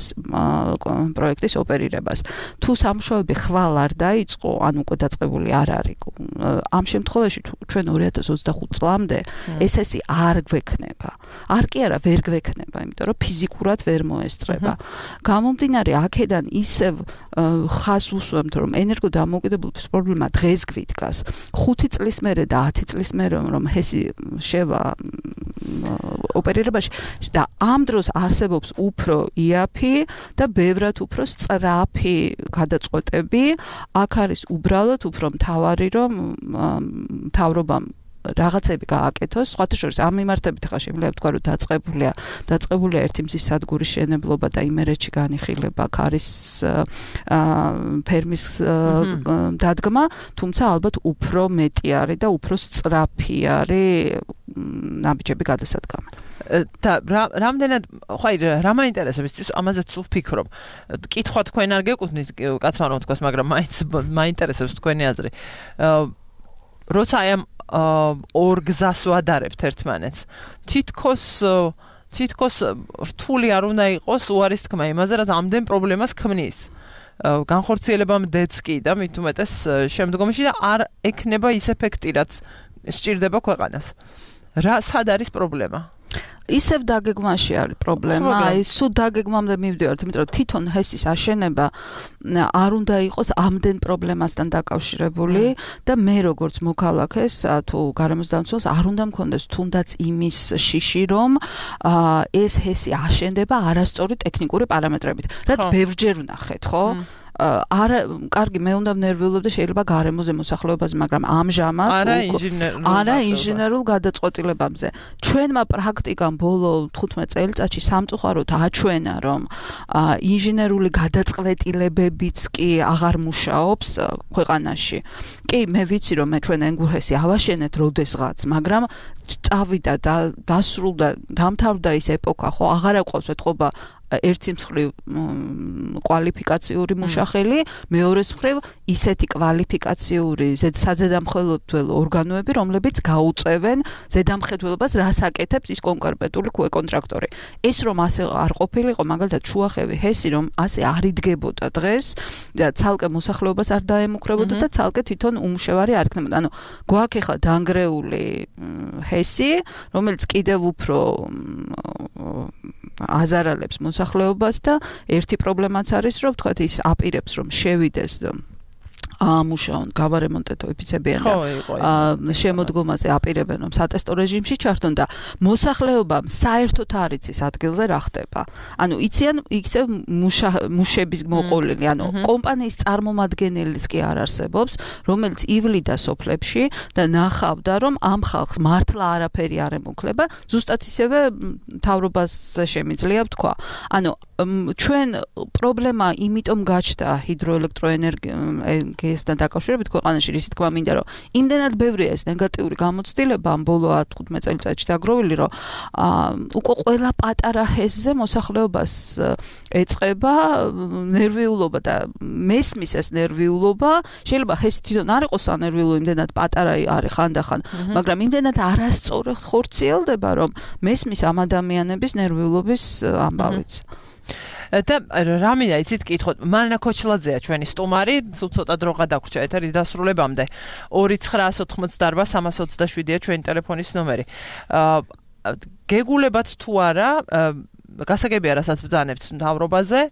პროექტის ოპერირებას. თუ სამუშაოები ხვალ არ დაიწყო, ან უკვე დაწყებული არ არის. ამ შემთხვევაში ჩვენ 2025 წლამდე ესესი არ გვექნება. არ კი არა, ვერ გვექნება, იმიტომ რომ ფიზიკურად ვერ მოესწრება. გამომდინარე აქედან ისევ ხას უსვამთ, რომ ენერგო დამოუკიდებლობის პრობლემა დღეს გვიდგას. 5 წლის მერე და 10 წლის მერე რომ ჰესი შევა ოპერირებაში და ამ დროს არსებობს უფრო იაფი და ბევრად უფრო სწრაფი გადაწყვეტები. აქ არის უბრალოდ უფრო მთავარი რომ მთავრობამ რაღაცები გააკეთოს, სხვათა შორის ამ მიმართებით ხა შეიძლება თქვა რომ დაწყებულია ერთი მზის სადგურის შენებლობა და იმერეთში განიხილება ქარის ფერმის დადგმა, თუმცა ალბათ უფრო მეტი არის და უფრო სწრაფი არის ნაბიჯები გადასადგამი. და რამდენად ხაი რა მაინტერესებს ამაზეც ვფიქრობ. კითხვა თქვენ არ გეკუთვნით კაცმანო თქოს, მაგრამ მაინტერესებს თქვენი აზრი. როცა აი ამ ორ გზას ვადარებთ ერთმანეთს. თითქოს რთული არ უნდა იყოს უარის თქმა იმაზე, რაც ამდენ პრობლემას ქმნის. განხორციელებამდეც კი და მით უმეტეს შემდგომში და არ ექნება ის ეფექტი, რაც სჭირდება ქვეყანას. სად არის პრობლემა? ისევ დაგეგმაში არის პრობლემა. აი სულ დაგეგმამდე მივდივართ, იმიტომ რომ თვითონ ჰესის აშენება არ უნდა იყოს ამდენ პრობლემასთან დაკავშირებული და მე როგორც მოქალაქეს თუ გარემოსდამცველს არ უნდა მქონდეს თუნდაც იმის შიში, რომ ეს ჰესი აშენდება არასწორი ტექნიკური პარამეტრებით, რაც ბევრჯერ ვნახეთ, ხო? კარგი, მე უნდა ვნერვიულობ და შეიძლება გარემოზე მოსახლეობაზე, მაგრამ ამჟამად არა ინჟინერულ გადაწყვეტილებებზე. ჩვენმა პრაქტიკამ ბოლო 15 წელიწადში სამწუხაროდ აჩვენა, რომ ინჟინერული გადაწყვეტილებებიც კი აღარ მუშაობს ქვეყანაში. კი, მე ვიცი, რომ ჩვენ ენგურჰესი ავაშენეთ როდესღაც, მაგრამ წავიდა და დასრულდა, დამთავრდა ის ეპოქა, ხო, აღარ აყვავს ეთყობა ერთი მხრივ კვალიფიკაციური მუშახელი, მეორეს მხრივ ისეთი კვალიფიკაციური საზედამხედველო ორგანოები, რომლებიც გაუწევენ ზედამხედველობას, რას აკეთებს ის კონკრეტული კონტრაქტორი. ეს რომ ასე არ ყოფილიყო, მაგალითად შუახევი ჰესი რომ ასე არ იდგებოდა დღეს და ცალკე მოსახლეობას არ დაემუქრებოდა და ცალკე თვითონ უმუშევარი არ იქნებოდა. ანუ გვაქვს ახლა დანგრეული ჰესი, რომელიც კიდევ უფრო აზარალებს მოსახლეობას და ერთი პრობლემაც არის, რომ თქვათ ის აპირებს რომ შევიდეს ამუშაონ გავარემონტეთო ეფიცებიან და შემოდგომაზე აპირებენ რომ სატესტო რეჟიმში ჩართონ და მოსახლეობამ საერთოდ არ იცის ადგილზე რა ხდება. ანუ იციან იქცევ მუშების მოყოლილი, ანუ კომპანიის წარმომადგენელიც კი არ არსებობს, რომელიც ივლიდა სოფლებში და ნახავდა რომ ამ ხალხს მართლა არაფერი არ ემუქლება, ზუსტად ისევე მთავრობას შემიძლია ვთქვა. ანუ ჩვენ პრობლემა იმიტომ გაჩნდა ჰიდროელექტროენერგიის ინფლაციასთან დაკავშირებით ქვეყანაში რის თქმა მინდა რომ იმდენად ბევრია ეს ნეგატიური გამოცდილება ამ ბოლო 15 წელიწადში დაგროვილი რომ უკვე ყველა პატარა ჰესზე მოსახლეობას ეწყება ნერვიულობა და მესმის ეს ნერვიულობა შეიძლება ჰესი თვითონ არ იყოს ანერვიულო იმდენად პატარა არის ხანდახან მაგრამ იმდენად არასწორად ხორციელდება რომ მესმის ამ ადამიანების ნერვიულობის ამბავიც და რამინდა იცით კითხოთ მარინა ქოჩლაძეა ჩვენი სტუმარი სულ ცოტა დრო გადაგვრჩა ეთერის დასრულებამდე 2988-327-ია ჩვენი ტელეფონის ნომერი გეგულებათ თუ არა გასაგებია რასაც ბრძანებთ მთავრობაზე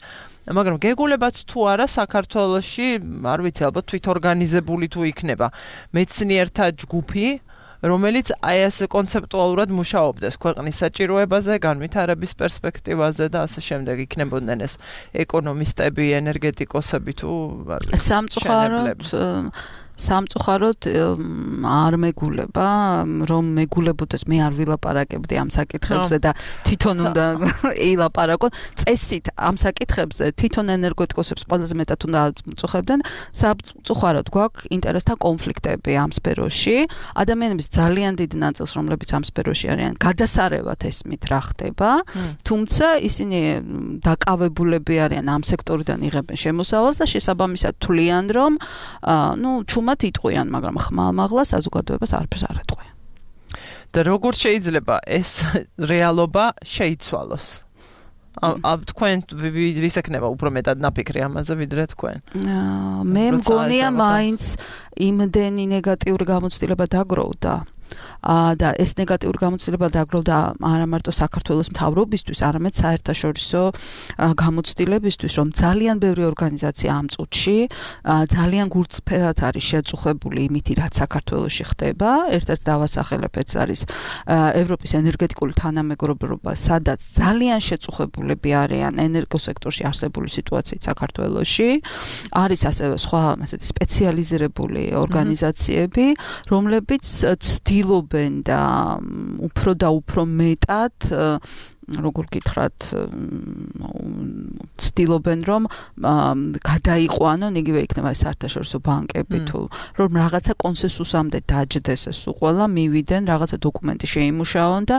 მაგრამ გეგულებათ თუ არა საქართველოში არ ვიცი ალბათ თვითორგანიზებული თუ იქნება მეცნიერთა ჯგუფი რომელიც აი ასე კონცეპტუალურად მუშაობდეს ქვეყნის საჭიროებაზე, განვითარების პერსპექტივაზე და ასე შემდეგ იქნებოდნენ ეს ეკონომისტები, ენერგეტიკოსები თუ სამწუხაროდ არ მეგულება, რომ მეგულებოდეს მე არ ვილაპარაკებდი ამ საკითხებზე და თვითონ უნდა ილაპარაკონ. წესით ამ საკითხებზე თვითონ ენერგეტიკოსებს ყველაზე მეტად უნდა წუხებდნენ. სამწუხაროდ გვაქვს ინტერესთა კონფლიქტები ამ სფეროში. ადამიანების ძალიან დიდ ნაწილს, რომლებიც ამ სფეროში არიან, გადასარევად ესმით რა ხდება, თუმცა ისინი დაკავებულები არიან ამ სექტორიდან იღებენ შემოსავალს და შესაბამისად თვლიან, რომ ჩუმად იტყვიან, მაგრამ ხმალ-მაღლა საზოგადოებას არაფერს არ ეტყვიან. და როგორ შეიძლება ეს რეალობა შეიცვალოს? თქვენ ვისექნება უფრო მეტად ნაფიქრი ამაზე ვიდრე თქვენ? მე მგონია მაინც იმდენი ნეგატიური გამოცდილება დაგროვდა. და ეს ნეგატიური გამოცდილება დაგროვდა არა მარტო საქართველოს მთავრობისთვის, არამედ საერთაშორისო გამოცდილებისთვის, რომ ძალიან ბევრი ორგანიზაცია ამ წუთში ძალიან გულწრფელად არის შეწუხებული იმითი, რაც საქართველოში ხდება. ერთ-ერთი დავასახელებთ არის ევროპის ენერგეტიკული თანამეგობრობა, სადაც ძალიან შეწუხებულები არიან ენერგოსექტორში არსებული სიტუაციით საქართველოში. არის ასევე სხვა ასეთი სპეციალიზირებული ორგანიზაციები, რომლებიც ცდილობენ და უფრო მეტად როგორ გითხრათ ცდილობენ რომ გადაიყვანონ იგივე იქნება საერთაშორისო ბანკები თუ რომ რაღაცა კონსენსუსამდე დაჯდეს ეს უყველა მივიდნენ რაღაცა დოკუმენტი შეიმუშაონ და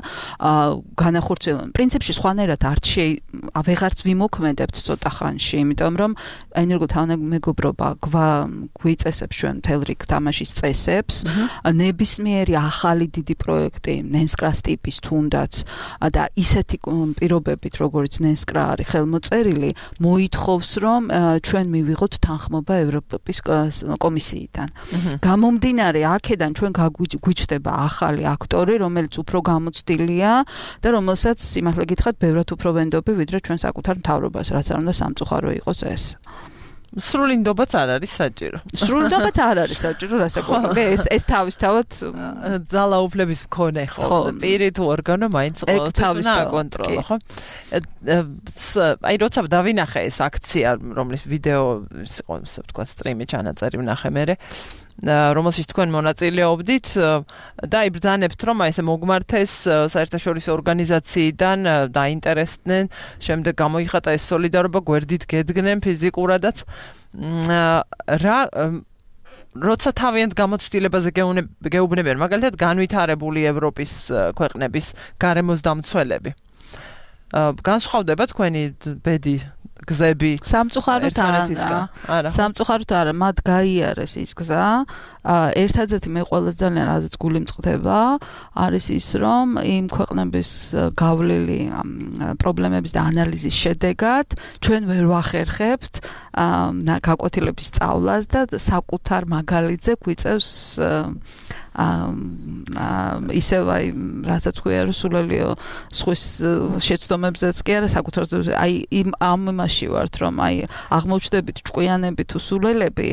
განახორციელონ პრინციპში სხვანაირად ვეღარც ვიმოქმედებთ ცოტა ხანში იმიტომ რომ ენერგოთანამეგობრობა გვიწესებს ჩვენ მთელ რიგ თამაშის წესებს ნებისმიერი ახალი დიდი პროექტი ნენსკრას ტიპის თუნდაც და ისეთი პირობებით, როგორც ნენსკრა არის ხელმოწერილი, მოითხოვს, რომ ჩვენ მივიღოთ თანხმობა ევროპის კომისიიდან. გამომდინარე, აქედან ჩვენ გვიჩნდება ახალი აქტორი, რომელიც უფრო გამოცდილია და რომელსაც სიმართლე გითხრათ, ბევრად უფრო ვენდობი, ვიდრე ჩვენ საკუთარ მთავრობას, რაც არ უნდა სამწუხარო იყოს ეს. სრულინდობაც არ არის საჭირო. სრულინდობაც არ არის საჭირო, რასაკვირველია, ეს თავისთავად ძალაუფლების მქონე ხო. პირი თუ ორგანო მაინც ყოველთვის აკონტროლო, ხო? აი როცა დავინახე ეს აქცია, რომლის ვიდეო იყო, ასე ვთქვათ, სტრიმი ჩანაწერი ვნახე მე, რომელშიც თქვენ მონაწილეობდით და იბრძანებთ, რომ აი ესე მოგმართეს საერთაშორისო ორგანიზაციიდან დაინტერესდნენ, შემდეგ გამოიხატა ეს სოლიდარობა, გვერდით გედგნენ ფიზიკურადაც. როცა თავიანთ გამოცდილებაზე გეუბნებიან, მაგალითად განვითარებული ევროპის ქვეყნების გარემოსდამცველები. განსხვავდება თქვენი ბედი გზები სამწუხაროდ არა მათ გაიარეს ის გზა ერთადერთი მე ყველაზე ძალიან რაზეც გული მწყდება არის ის რომ იმ ქვეყნების გავლილი პრობლემების და ანალიზის შედეგად ჩვენ ვერ ვახერხებთ გაკვეთილების სწავლას და საკუთარ მაგალითზე გვიწევს ისევ აი რასაც ქვია რომ სულელიო სხვის შეცდომებზეც კი არა საკუთარზე აი ამ იმაში ვართ რომ აი აღმოჩნდებით ჭკვიანები თუ სულელები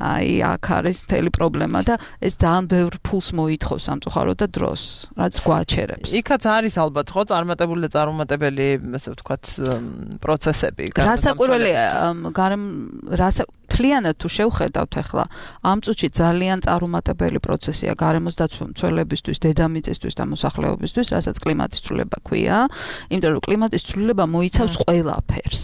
აი აქ არის მთელი პრობლემა და ეს ძალიან ბევრ ფულს მოითხოვს სამწუხაროდ და დროს რაც გვაჩერებს იქაც არის ალბათ ხო წარმატებული და წარუმატებელი ასე ვთქვათ პროცესები რასაკვირველია მთლიანად თუ შევხედავთ ახლა ამ წუთში ძალიან წარუმატებელი პროცესია გარემოს დაცვლებისთვის, დედამიწისთვის და მოსახლეობისთვის, რასაც კლიმატის ცვლილება ქვია, იმიტომ რომ კლიმატის ცვლილება მოიცავს ყველაფერს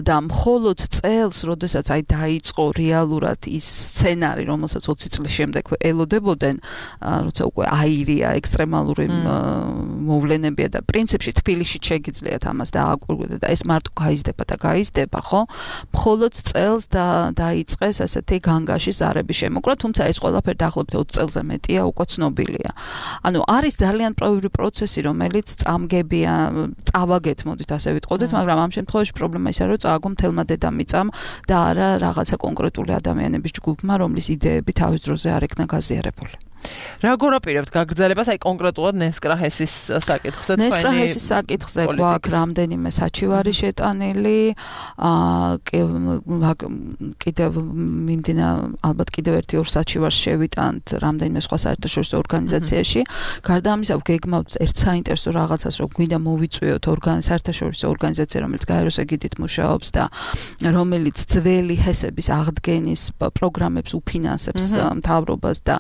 და მხოლოდ წელს, როდესაც დაიწყო რეალურად ის სცენარი, რომელსაც 20 წლის შემდეგ ელოდებოდნენ, როცა უკვე აირია, ექსტრემალური მოვლენებია და პრინციპში თბილისში შეგიძლიათ ამას დააკვირდეთ და ეს მარტო გაიზრდება, ხო? მხოლოდ წელს დაიწყეს ასეთი განგაში ზარების შემოკრა, თუმცა ეს ყველაფერი დაახლოებით 20 წელზე მეტია, უკვე ცნობილია. ანუ არის ძალიან პრობლემური პროცესი, რომელიც წამგებია, წავაგეთ, მოდით ასე ვიტყოდეთ, მაგრამ ამ შემთხვევაში პრობლემა ისაა, რომ წააგო მთელმა დედამიწამ და არა რაღაცა კონკრეტული ადამიანების ჯგუფმა, რომლის იდეები თავის დროზე არ იქნა გაზიარებული. რა გორაპირებთ გაგრძელებას აი კონკრეტულად ნესკრაჰესის საკითხზე თქვენი ნესკრაჰესის საკითხზე გვაქვს რამდენიმე საჩივარი შეტანილი კიდევ მიმდინა ალბათ კიდევ ერთი ორ საჩივარს შევიტანთ რამდენიმე სხვა საერთაშორისო ორგანიზაციაში გარდა ამისა გეგმავთ ერთ საინტერესო რაღაცას რომ გვინდა მოვიწვიოთ საერთაშორისო ორგანიზაცია რომელიც გაეროს ეგიდით მუშაობს და რომელიც ძველი ჰესების აღდგენის პროგრამებს უფინანსებს მთავრობას და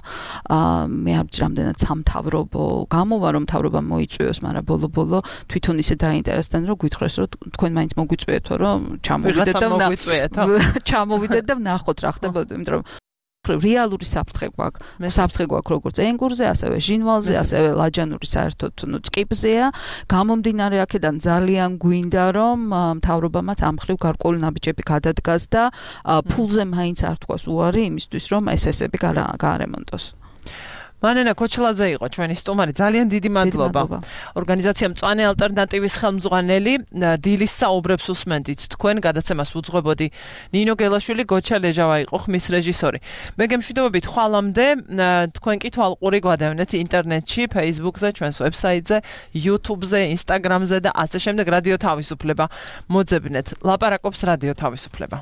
მე არ ვიცი რამდენად სამთავრობო გამოვა რომ მთავრობა მოიწვიოს, მაგრამ ბოლო-ბოლო თვითონ ისე დაინტერესდნენ რომ გვითხრეს რომ თქვენ მაინც მოგვიწვიეთო რომ ჩამოვიდეთ და ვნახოთ რა ხდებოდა, იმიტომ რომ რეალური საფრთხე გვაქვს. საფრთხე გვაქვს როგორც ენგურზე, ასევე ჟინვალზე, ასევე ლაჯანური საერთოდ წყიბზეა. გამომდინარე აქედან ძალიან გვინდა რომ მთავრობამაც ამ ხრივ გარკვეული ნაბიჯები გადადგას და ფულზე მაინც არ თქვას უარი იმისთვის რომ ესესები გაარემონტოს. მანენა ქოჩლაძე იყო ჩვენი სტუმარი. ძალიან დიდი მადლობა. ორგანიზაცია მწვანე ალტერნატივის ხელმძღვანელი დილის საუბრებს უსმენდით. თქვენ გადაცემას უძღვებოდი ნინო გელაშვილი, გოჩა ლეჟავა იყო ხმის რეჟისორი. მე გემშვიდობებით ხვალამდე თქვენ კი თვალყური გვადევნეთ ინტერნეტში, Facebook-ზე, ჩვენს ვებსაიტზე, YouTube-ზე, Instagram-ზე და ასე შემდეგ. რადიო თავისუფლება მოძებნეთ. ლაპარაკობს რადიო თავისუფლება.